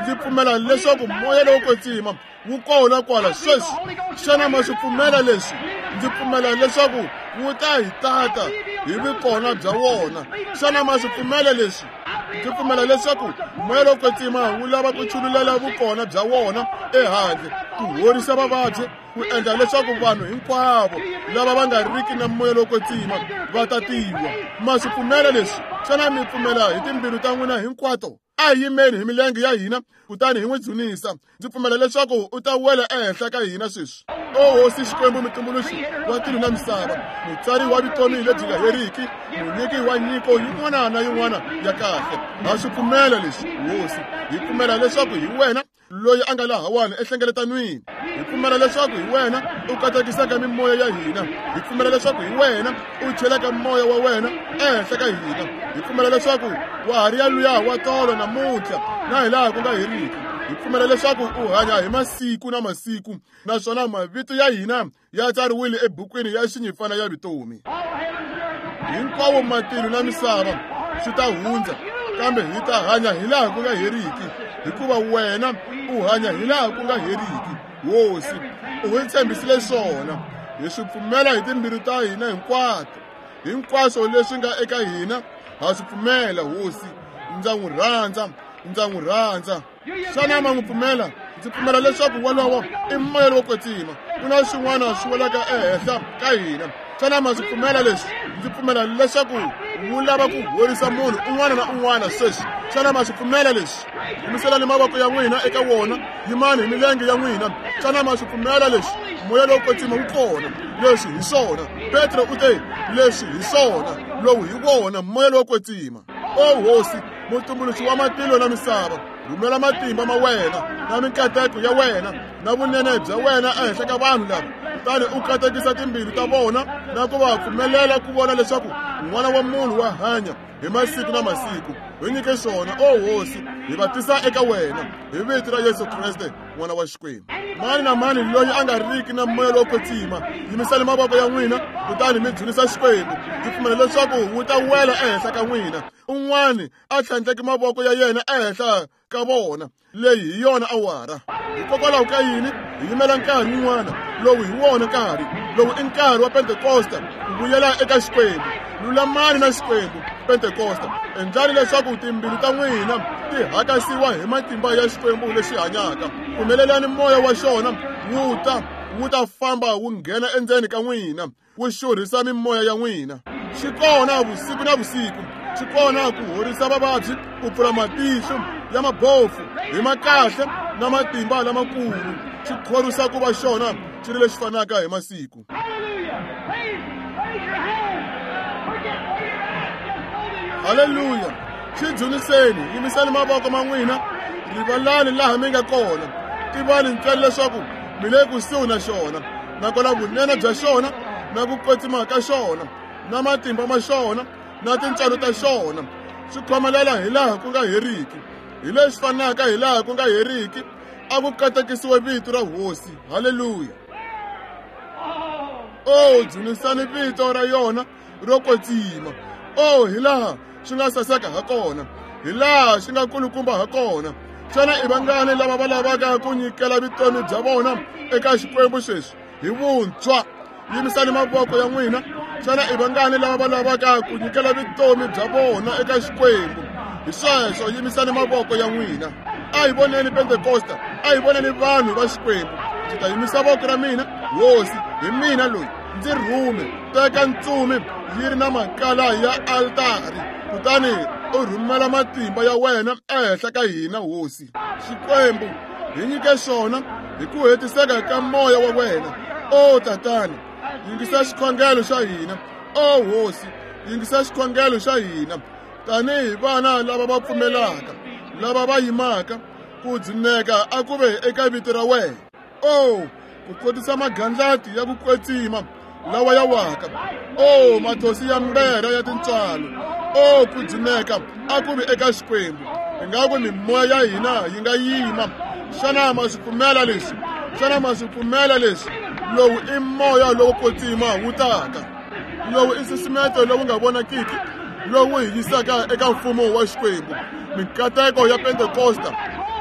Ndzi pfumela leswaku moya lowo kwetsima wu kona kwala sweswi. Xana ma swi pfumela leswi? Ndzi pfumela leswaku wu ta hi tata hi vukona bya wona. Xana ma swi pfumela leswi? Ndzi pfumela leswaku moya lowo kwetsima wu lava ku chululela vukona bya wona ehandle, ku horisa vavabyi, ku endla leswaku vanhu hinkwavo lava va nga riki na moya lowo kwetsima va ta tiwa. Ma swi pfumela leswi? Xana mi pfumela hi timbilu ta n'wina hinkwato? A hi yimeni hi milenge ya hina kutani hi n'wi dzunisa. Ndzi pfumela leswaku u ta wela ehenhla ka hina sweswi. O Hosi Xikwembu, mutumbuluxi wa tilo na misava, mutsari wa vutomi lebyi nga heriki, munyiki wa nyiko yin'wana na yin'wana ya kahle, ha swi pfumela leswi, Hosi. Hi pfumela leswaku hi wena loyi a nga lahawani ehlengeletanweni. Hi pfumela leswaku hi wena u katekisaka mimoya ya hina. Hi pfumela leswaku hi wena u chelaka moya wa wena ehenhla ka hina. Hi pfumela leswaku wa ha ri yaluya wa tolo namuntlha na hi laha ku nga heriki. Hi pfumela leswaku u hanya hi masiku na masiku, naswona mavito ya hina ya tsariwile ebukwini ya xinyifana ya vutomi. Hinkwawo matilo na misava swi ta hundza, kambe hi ta hanya hi laha ku nga heriki, hikuva wena u hanya hi laha ku nga heriki. Hosi, u hi tshembisile swona. Hi swi pfumela hi timbilu ta hina hinkwato. Hinkwaswo leswi nga eka hina ha swi pfumela, Hosi. Ndza n'wi rhandza, ndza n'wi rhandza. Xana ma n'wi pfumela? Ndzi pfumela leswaku wolowo i moya lowo kwetsima. Ku na swin'wana swi welaka ehenhla ka hina. Xana ma swi pfumela leswi? Ndzi pfumela leswaku wu lava ku horisa munhu un'wana na un'wana sweswi. Xana ma swi pfumela leswi? Yimiselani mavoko ya n'wina eka wona, yimani hi milenge ya n'wina. Xana ma swi pfumela leswi? Moya lowo kwetsima wu kona. Leswi hi swona. Petro u te, "Leswi hi swona. Lowu hi wona moya lowo kwetsima." O Hosi, mutumbuluxi wa matilo na misava, rhumela matimba ma wena na minkateko ya wena na vunene bya wena ehenhla ka vanhu lava, kutani u katekisa timbilu ta vona na ku va pfumelela ku vona leswaku N'wana wa Munhu wa hanya hi masiku na masiku. Hi nyike swona, o Hosi, hi va tisa eka wena hi vito ra Yesu Kreste, N'wana wa Xikwembu. Mani na mani loyi a nga riki na moya lowo kwetsima, yimisani mavoko ya n'wina kutani mi dzunisa Xikwembu. Ndzi pfumela leswaku wu ta wela ehenhla ka n'wina. Un'wani a tlhandleki mavoko ya yena ehenhla ka vona. Leyi hi yona awara. Hikokwalaho ka yini hi yimela nkarhi wun'wana? Lowu hi wona nkarhi. Lowu i nkarhi wa Pentekosta, ku vuyela eka Xikwembu. Lulamani na Xikwembu, Pentekosta. Endlani leswaku timbilu ta n'wina ti hakasiwa hi matimba ya Xikwembu lexi hanyaka. Pfumelelani moya wa xona wu ta famba wu nghena endzeni ka n'wina, wu xurhisa mimoya ya n'wina. Xi kona vusiku na vusiku, xi kona ku horisa vavabyi, ku pfula matihlo ya mabofu hi makahle na matimba lamakulu. xi khorwisa ku va xona xi ri lexi fanaka hi masiku. Haleluya! Xi dzuniseni, yimisani mavoko ma n'wina, rivalani laha mi nga kona, tivani ntsena leswaku mi le kusuhi na xona, nakona vunene bya xona na ku kwetsima ka xona na matimba ma xona na tintswalo ta xona swi khomelela hi laha ku nga heriki, hi leswi fanaka hi laha ku nga heriki. A ku katekisiwe vito ra Hosi. Haleluya! O dzunisani vito ra yona ro kwetsima. O hi laha swi nga saseka ha kona, hi laha swi nga kulukumba ha kona. Xana i vangani lava va lavaka ku nyikela vutomi bya vona eka Xikwembu sweswi hi vuntshwa? Yimisani mavoko ya n'wina. Xana i vangani lava va lavaka ku nyikela vutomi bya vona eka Xikwembu? Hi sweswo, yimisani mavoko ya n'wina. A hi voneni Pentekosta, a hi voneni vanhu va Xikwembu. Ndzi ta yimisa voko ra mina, Hosi, hi mina loyi, ndzi rhume. Teka ntsumi yi ri na makala ya altari, kutani u rhumela matimba ya wena ehenhla ka hina, Hosi Xikwembu. Hi nyike xona hi ku hetiseka ka moya wa wena. O Tatana, yingisa xikhongelo xa hina. O Hosi, yingisa xikhongelo xa hina tanihi vana lava va pfumelaka, lava va yimaka ku dzuneka a ku ve eka vito ra wena. O ku kotisa magandlati ya ku kwetsima lawa ya waka. O mathosi ya mbera ya tintswalo. O ku dzuneka a ku vi eka Xikwembu. Ingaku mimoya ya hina yi nga yima. Xana ma swi pfumela leswi? Xana ma swi pfumela leswi? Lowu i moya lowo kwetsima wu taka. Lowu i nsusumeto lowu nga vonakiki lowu hi yisaka eka mfumo wa Xikwembu. Mikateko ya Pentekosta,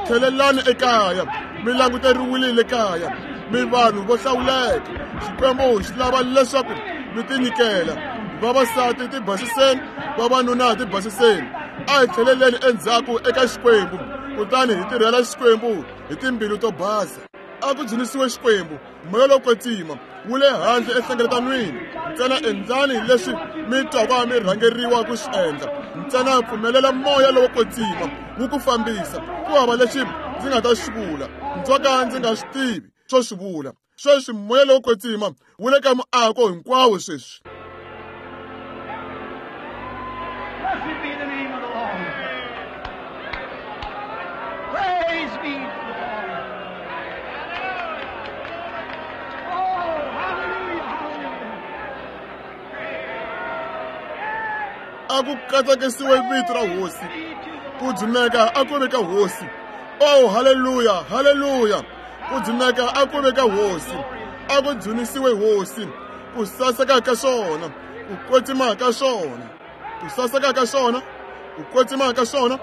tlhelelani ekaya, mi languteriwile le kaya, mi vanhu vo hlawuleka. Xikwembu xi lava leswaku mi tinyikela. Vavasati tibasiseni, vavanuna tibasiseni. A hi tlheleleni endzhaku eka Xikwembu, kutani hi tirhela Xikwembu hi timbilu to basa. A ku dzunisiwe Xikwembu. Moya lowo kwetsima wu le handle enhlengeletanweni. Ntsena endlani leswi mi twaka mi rhangeriwa ku swi endla. Ntsena pfumelela moya lowo kwetsima wu ku fambisa. Ku hava lexi ndzi nga ta xi vula, ndzo ka ndzi nga swi tivi swo swi vula. Sweswi moya lowo kwetsima wu le ka muako hinkwawo sweswi. Blessed be the name of the Lord. Praise be to the Lord. Oh, hallelujah, hallelujah. A ku katekisiwe vito ra Hosi. Ku dzuneka a ku ve ka Hosi. Oh, haleluya, haleluya. Ku dzuneka a ku ve ka Hosi. A ku dzunisiwe Hosi. Ku saseka ka xona, ku kwetsima ka xona, ku saseka ka xona, ku kwetsima ka xona,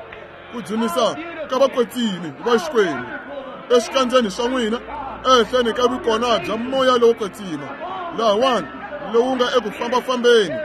ku dzunisa ka vakwetsimi va Xikwembu exikandzeni swa n'wina, ehenhleni ka vukona bya moya lowo kwetsima lahawani lowu nga eku fambafambeni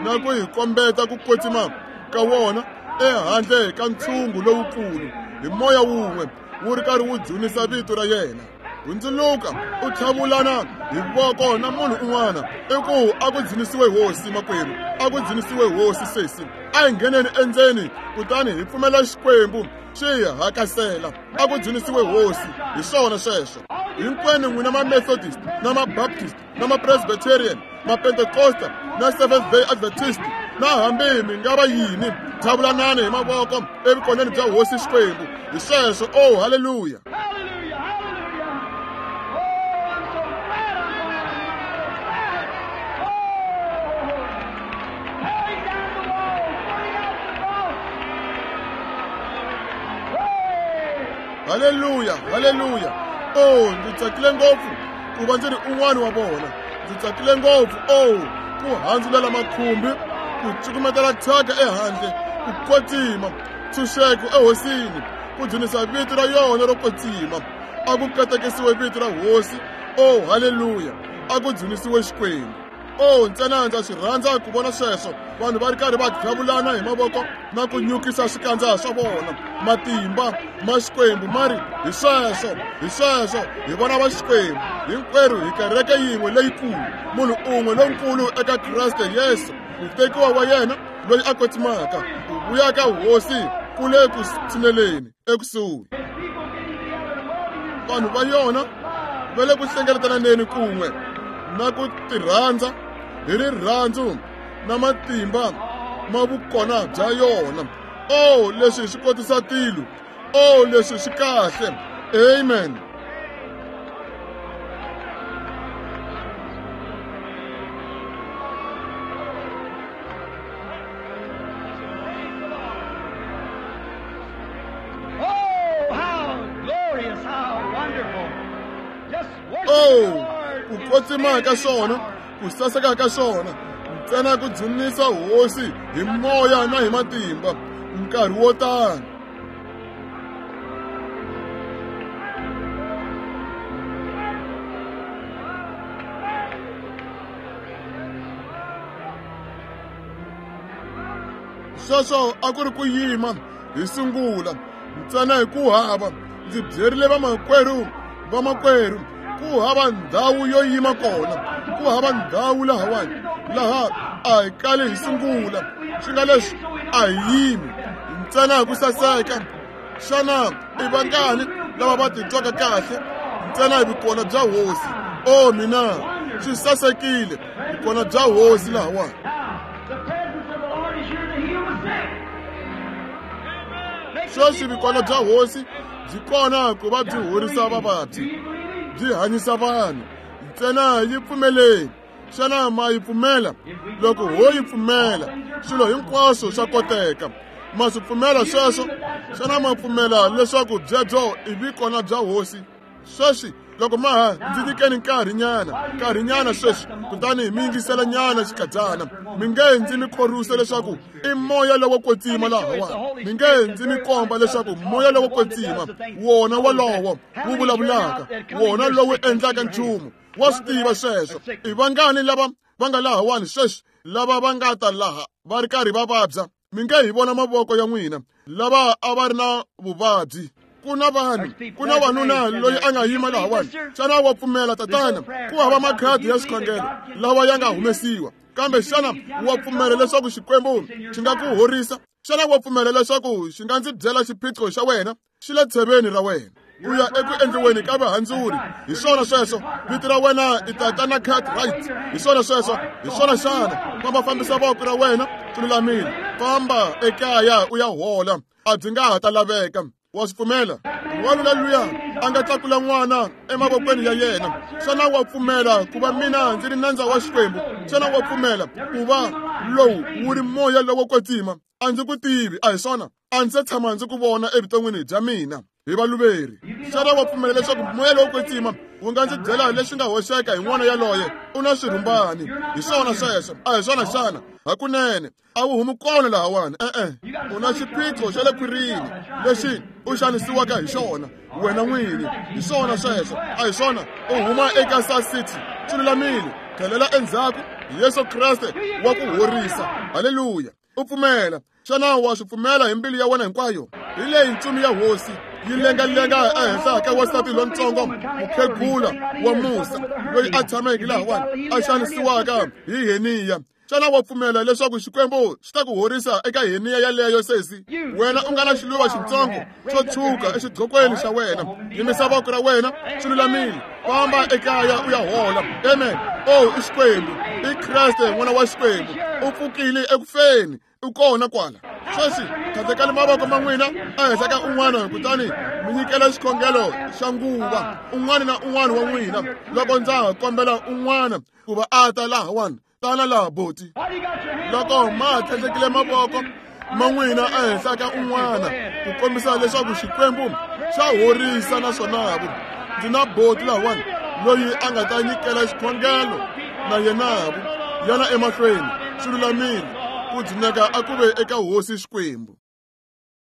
na ku hi kombeta ku kwetsima ka wona ehandle ka ntshungu lowukulu hi moya wun'we wu ri karhi wu dzunisa vito ra yena. Hundzuluka u tlhavulana hi voko na munhu un'wana, i ku a ku dzunisiwe Hosi makwerhu, a ku dzunisiwe Hosi sesi. A hi ngheneni endzeni kutani hi pfumela Xikwembu xi hi hakasela. A ku dzunisiwe Hosi. Hi swona sweswo. Hinkwenu n'wina ma-Methodist na ma-Baptist na ma-Presbyterian, ma-Pentecosta na Seventh Day Adventist, na hambi mi nga va yini, tlhavulanani hi mavoko evukoneni bya Hosi Xikwembu. Hi sweswo. Oh, haleluya. Hallelujah, hallelujah. Oh, I'm so glad I'm going. I'm so glad. Oh, tearing down the walls, putting out the cross. Hey! Haleluya, haleluya. Oh, ndzi tsakile ngopfu ku va ndzi ri un'wana wa vona. Ndzi tsakile ngopfu. Oh, ku handzulela makhumbi, ku cukumetela thyaka ehandle, ku kwetsima, ntshunxeko ehosini, ku dzunisa vito ra yona ro kwetsima. A ku katekisiwe vito ra Hosi. Oh, haleluya. A ku dzunisiwe Xikwembu. Oh, ntsena ndza swi rhandza ku vona sweswo, vanhu va ri karhi va dlavulana hi mavoko na ku nyukisa swikandza swa vona. Matimba ma Xikwembu ma ri hi sweswo, hi sweswo, hi vona va Xikwembu hinkwerhu hi kereke yin'we leyikulu, munhu un'we lonkulu eka Kreste Yesu, mutekiwa wa yena loyi a kwetsimaka. Ku vuya ka Hosi ku le ku tshineleni ekusuhi. Vanhu va yona Va le ku hlengeletananeni kun'we na ku tirhandza hi rirhandzu na matimba ma vukona bya yona. Oh, leswi swi kotisa tilo. Oh, leswi swi kahle. Amen. Oh, ku kwetsima ka xona, ku saseka ka xona, ntsena ku dzunisa hosi hi moya na hi matimba nkarhi wo tano. Sweswo a ku ri ku yima hi sungula ntsena hi ku hava ndzi byerile vamakwerhu ku hava ndhawu yo yima kona, ku hava ndhawu lahawani laha a hi kali hi sungula. Swi nga leswi a hi yimi ntsena hi ku saseka. Xana i vangani lava va titwaka kahle ntsena hi vukona bya hosi? O mina, swi sasekile vukona bya hosi lahawani. Sweswi vukona bya hosi byi kona ku va byi horisa vavabyi, byi hanyisa vanhu. Ntsena yi pfumeleni. Xana ma yi pfumela? Loko ho yi pfumela, swilo hinkwaswo swa koteka. Ma swi pfumela sweswo? Xana ma pfumela leswaku byebyo i vikona bya hosi? Sweswi loko ma ha ndzi nyikeni nkarhinyana sweswi, kutani mi yingisela nyana xikadyana. Mi nge ndzi mi khorwisa leswaku i moya lowo kwetsima lahawani. Mi nge ndzi mi komba leswaku moya lowo kwetsima wona wolowo wu vulavulaka, wona lowu endlaka nchumu. Wa swi tiva sweswo. I vangani lava va nga lahawani sweswi lava va nga ta laha va ri karhi va vabya? Mi nge hi vona mavoko ya n'wina lava a va ri na vuvabyi. Ku na vanhu, ku na wanuna loyi a nga yima lahawani. Xana wa pfumela, tatana? Ku hava makhadi ya xikhongelo lawa ya nga humesiwa, kambe xana wa pfumela leswaku Xikwembu xi nga ku horisa? Xana wa pfumela leswaku xi nga ndzi byela xiphiqo xa wena? Xi le tsheveni ra wena. U ya eku endliweni ka vahandzuri. Hi swona sweswo. Vito ra wena i tatana Cartwright. Hi swona sweswo. Hi swona xana? Famba fambisa voko ra wena, swi lulamile. Famba ekaya u ya hola, a byi nga ha ta laveka. Wa swi pfumela? Wanuna luya a nga tlakula n'wana emavokweni ya yena. Xana wa pfumela ku va mina ndzi ri nandza wa Xikwembu? Xana wa pfumela ku va lowu wu ri moya lowo kwetsima? A ndzi ku tivi, a hi swona? A ndzi se tshama ndzi ku vona evuton'wini bya mina. Hi valuveri. Xana wa pfumela leswaku moya lowo kwetsima wu nga ndzi byela leswi nga hoxeka hi n'wana yaloye? U na swirhumbani. Hi swona sweswo, a hi swona xana? Hakunene a wu humi kona lahawani. E-e, u na xiphiqo xa le khwirini lexi u xanisiwaka hi xona wena n'wini. Hi swona sweswo, a hi swona? U huma eka South City. Swi lulamile. Tlhelela endzhaku. Yesu Kreste wa ku horisa. Haleluya. U pfumela. Xana wa swi pfumela hi mbilu ya wena hinkwayo? Hi leyi ntsumi ya hosi yi lengalenga ehenhla ka wansati lontsongo mukhegula wa musa loyi a tshameke lahawani a xanisiwaka hi heniya. Xana wa pfumela leswaku Xikwembu xi ta ku horisa eka heniya yaleyo, sesi? Wena u nga na xiluva xitsongo xo tshwuka exidlokweni xa wena, yimisa voko ra wena, swi lulamile. Famba ekaya u ya hola. Amen. Oh, i Xikwembu, i Kreste n'wana wa Xikwembu, u pfukile ekufeni, u kona kwala. Sweswi tlhandlekani mavoko ma n'wina ehenhla ka un'wana, kutani mi nyikela xikhongelo xa nguva un'wana na un'wana wa n'wina. Loko ndza ha kombela un'wana ku va a ta lahawani, tana laha boti. Loko ma tlhandlekile mavoko ma n'wina ehenhla ka un'wana ku kombisa leswaku Xikwembu xa horisa naswona vu ndzi na boti lahawani loyi a nga ta nyikela xikhongelo na yena vu yana emahlweni. Swi lulamile. Ku dzuneka a ku ve eka hosi Xikwembu.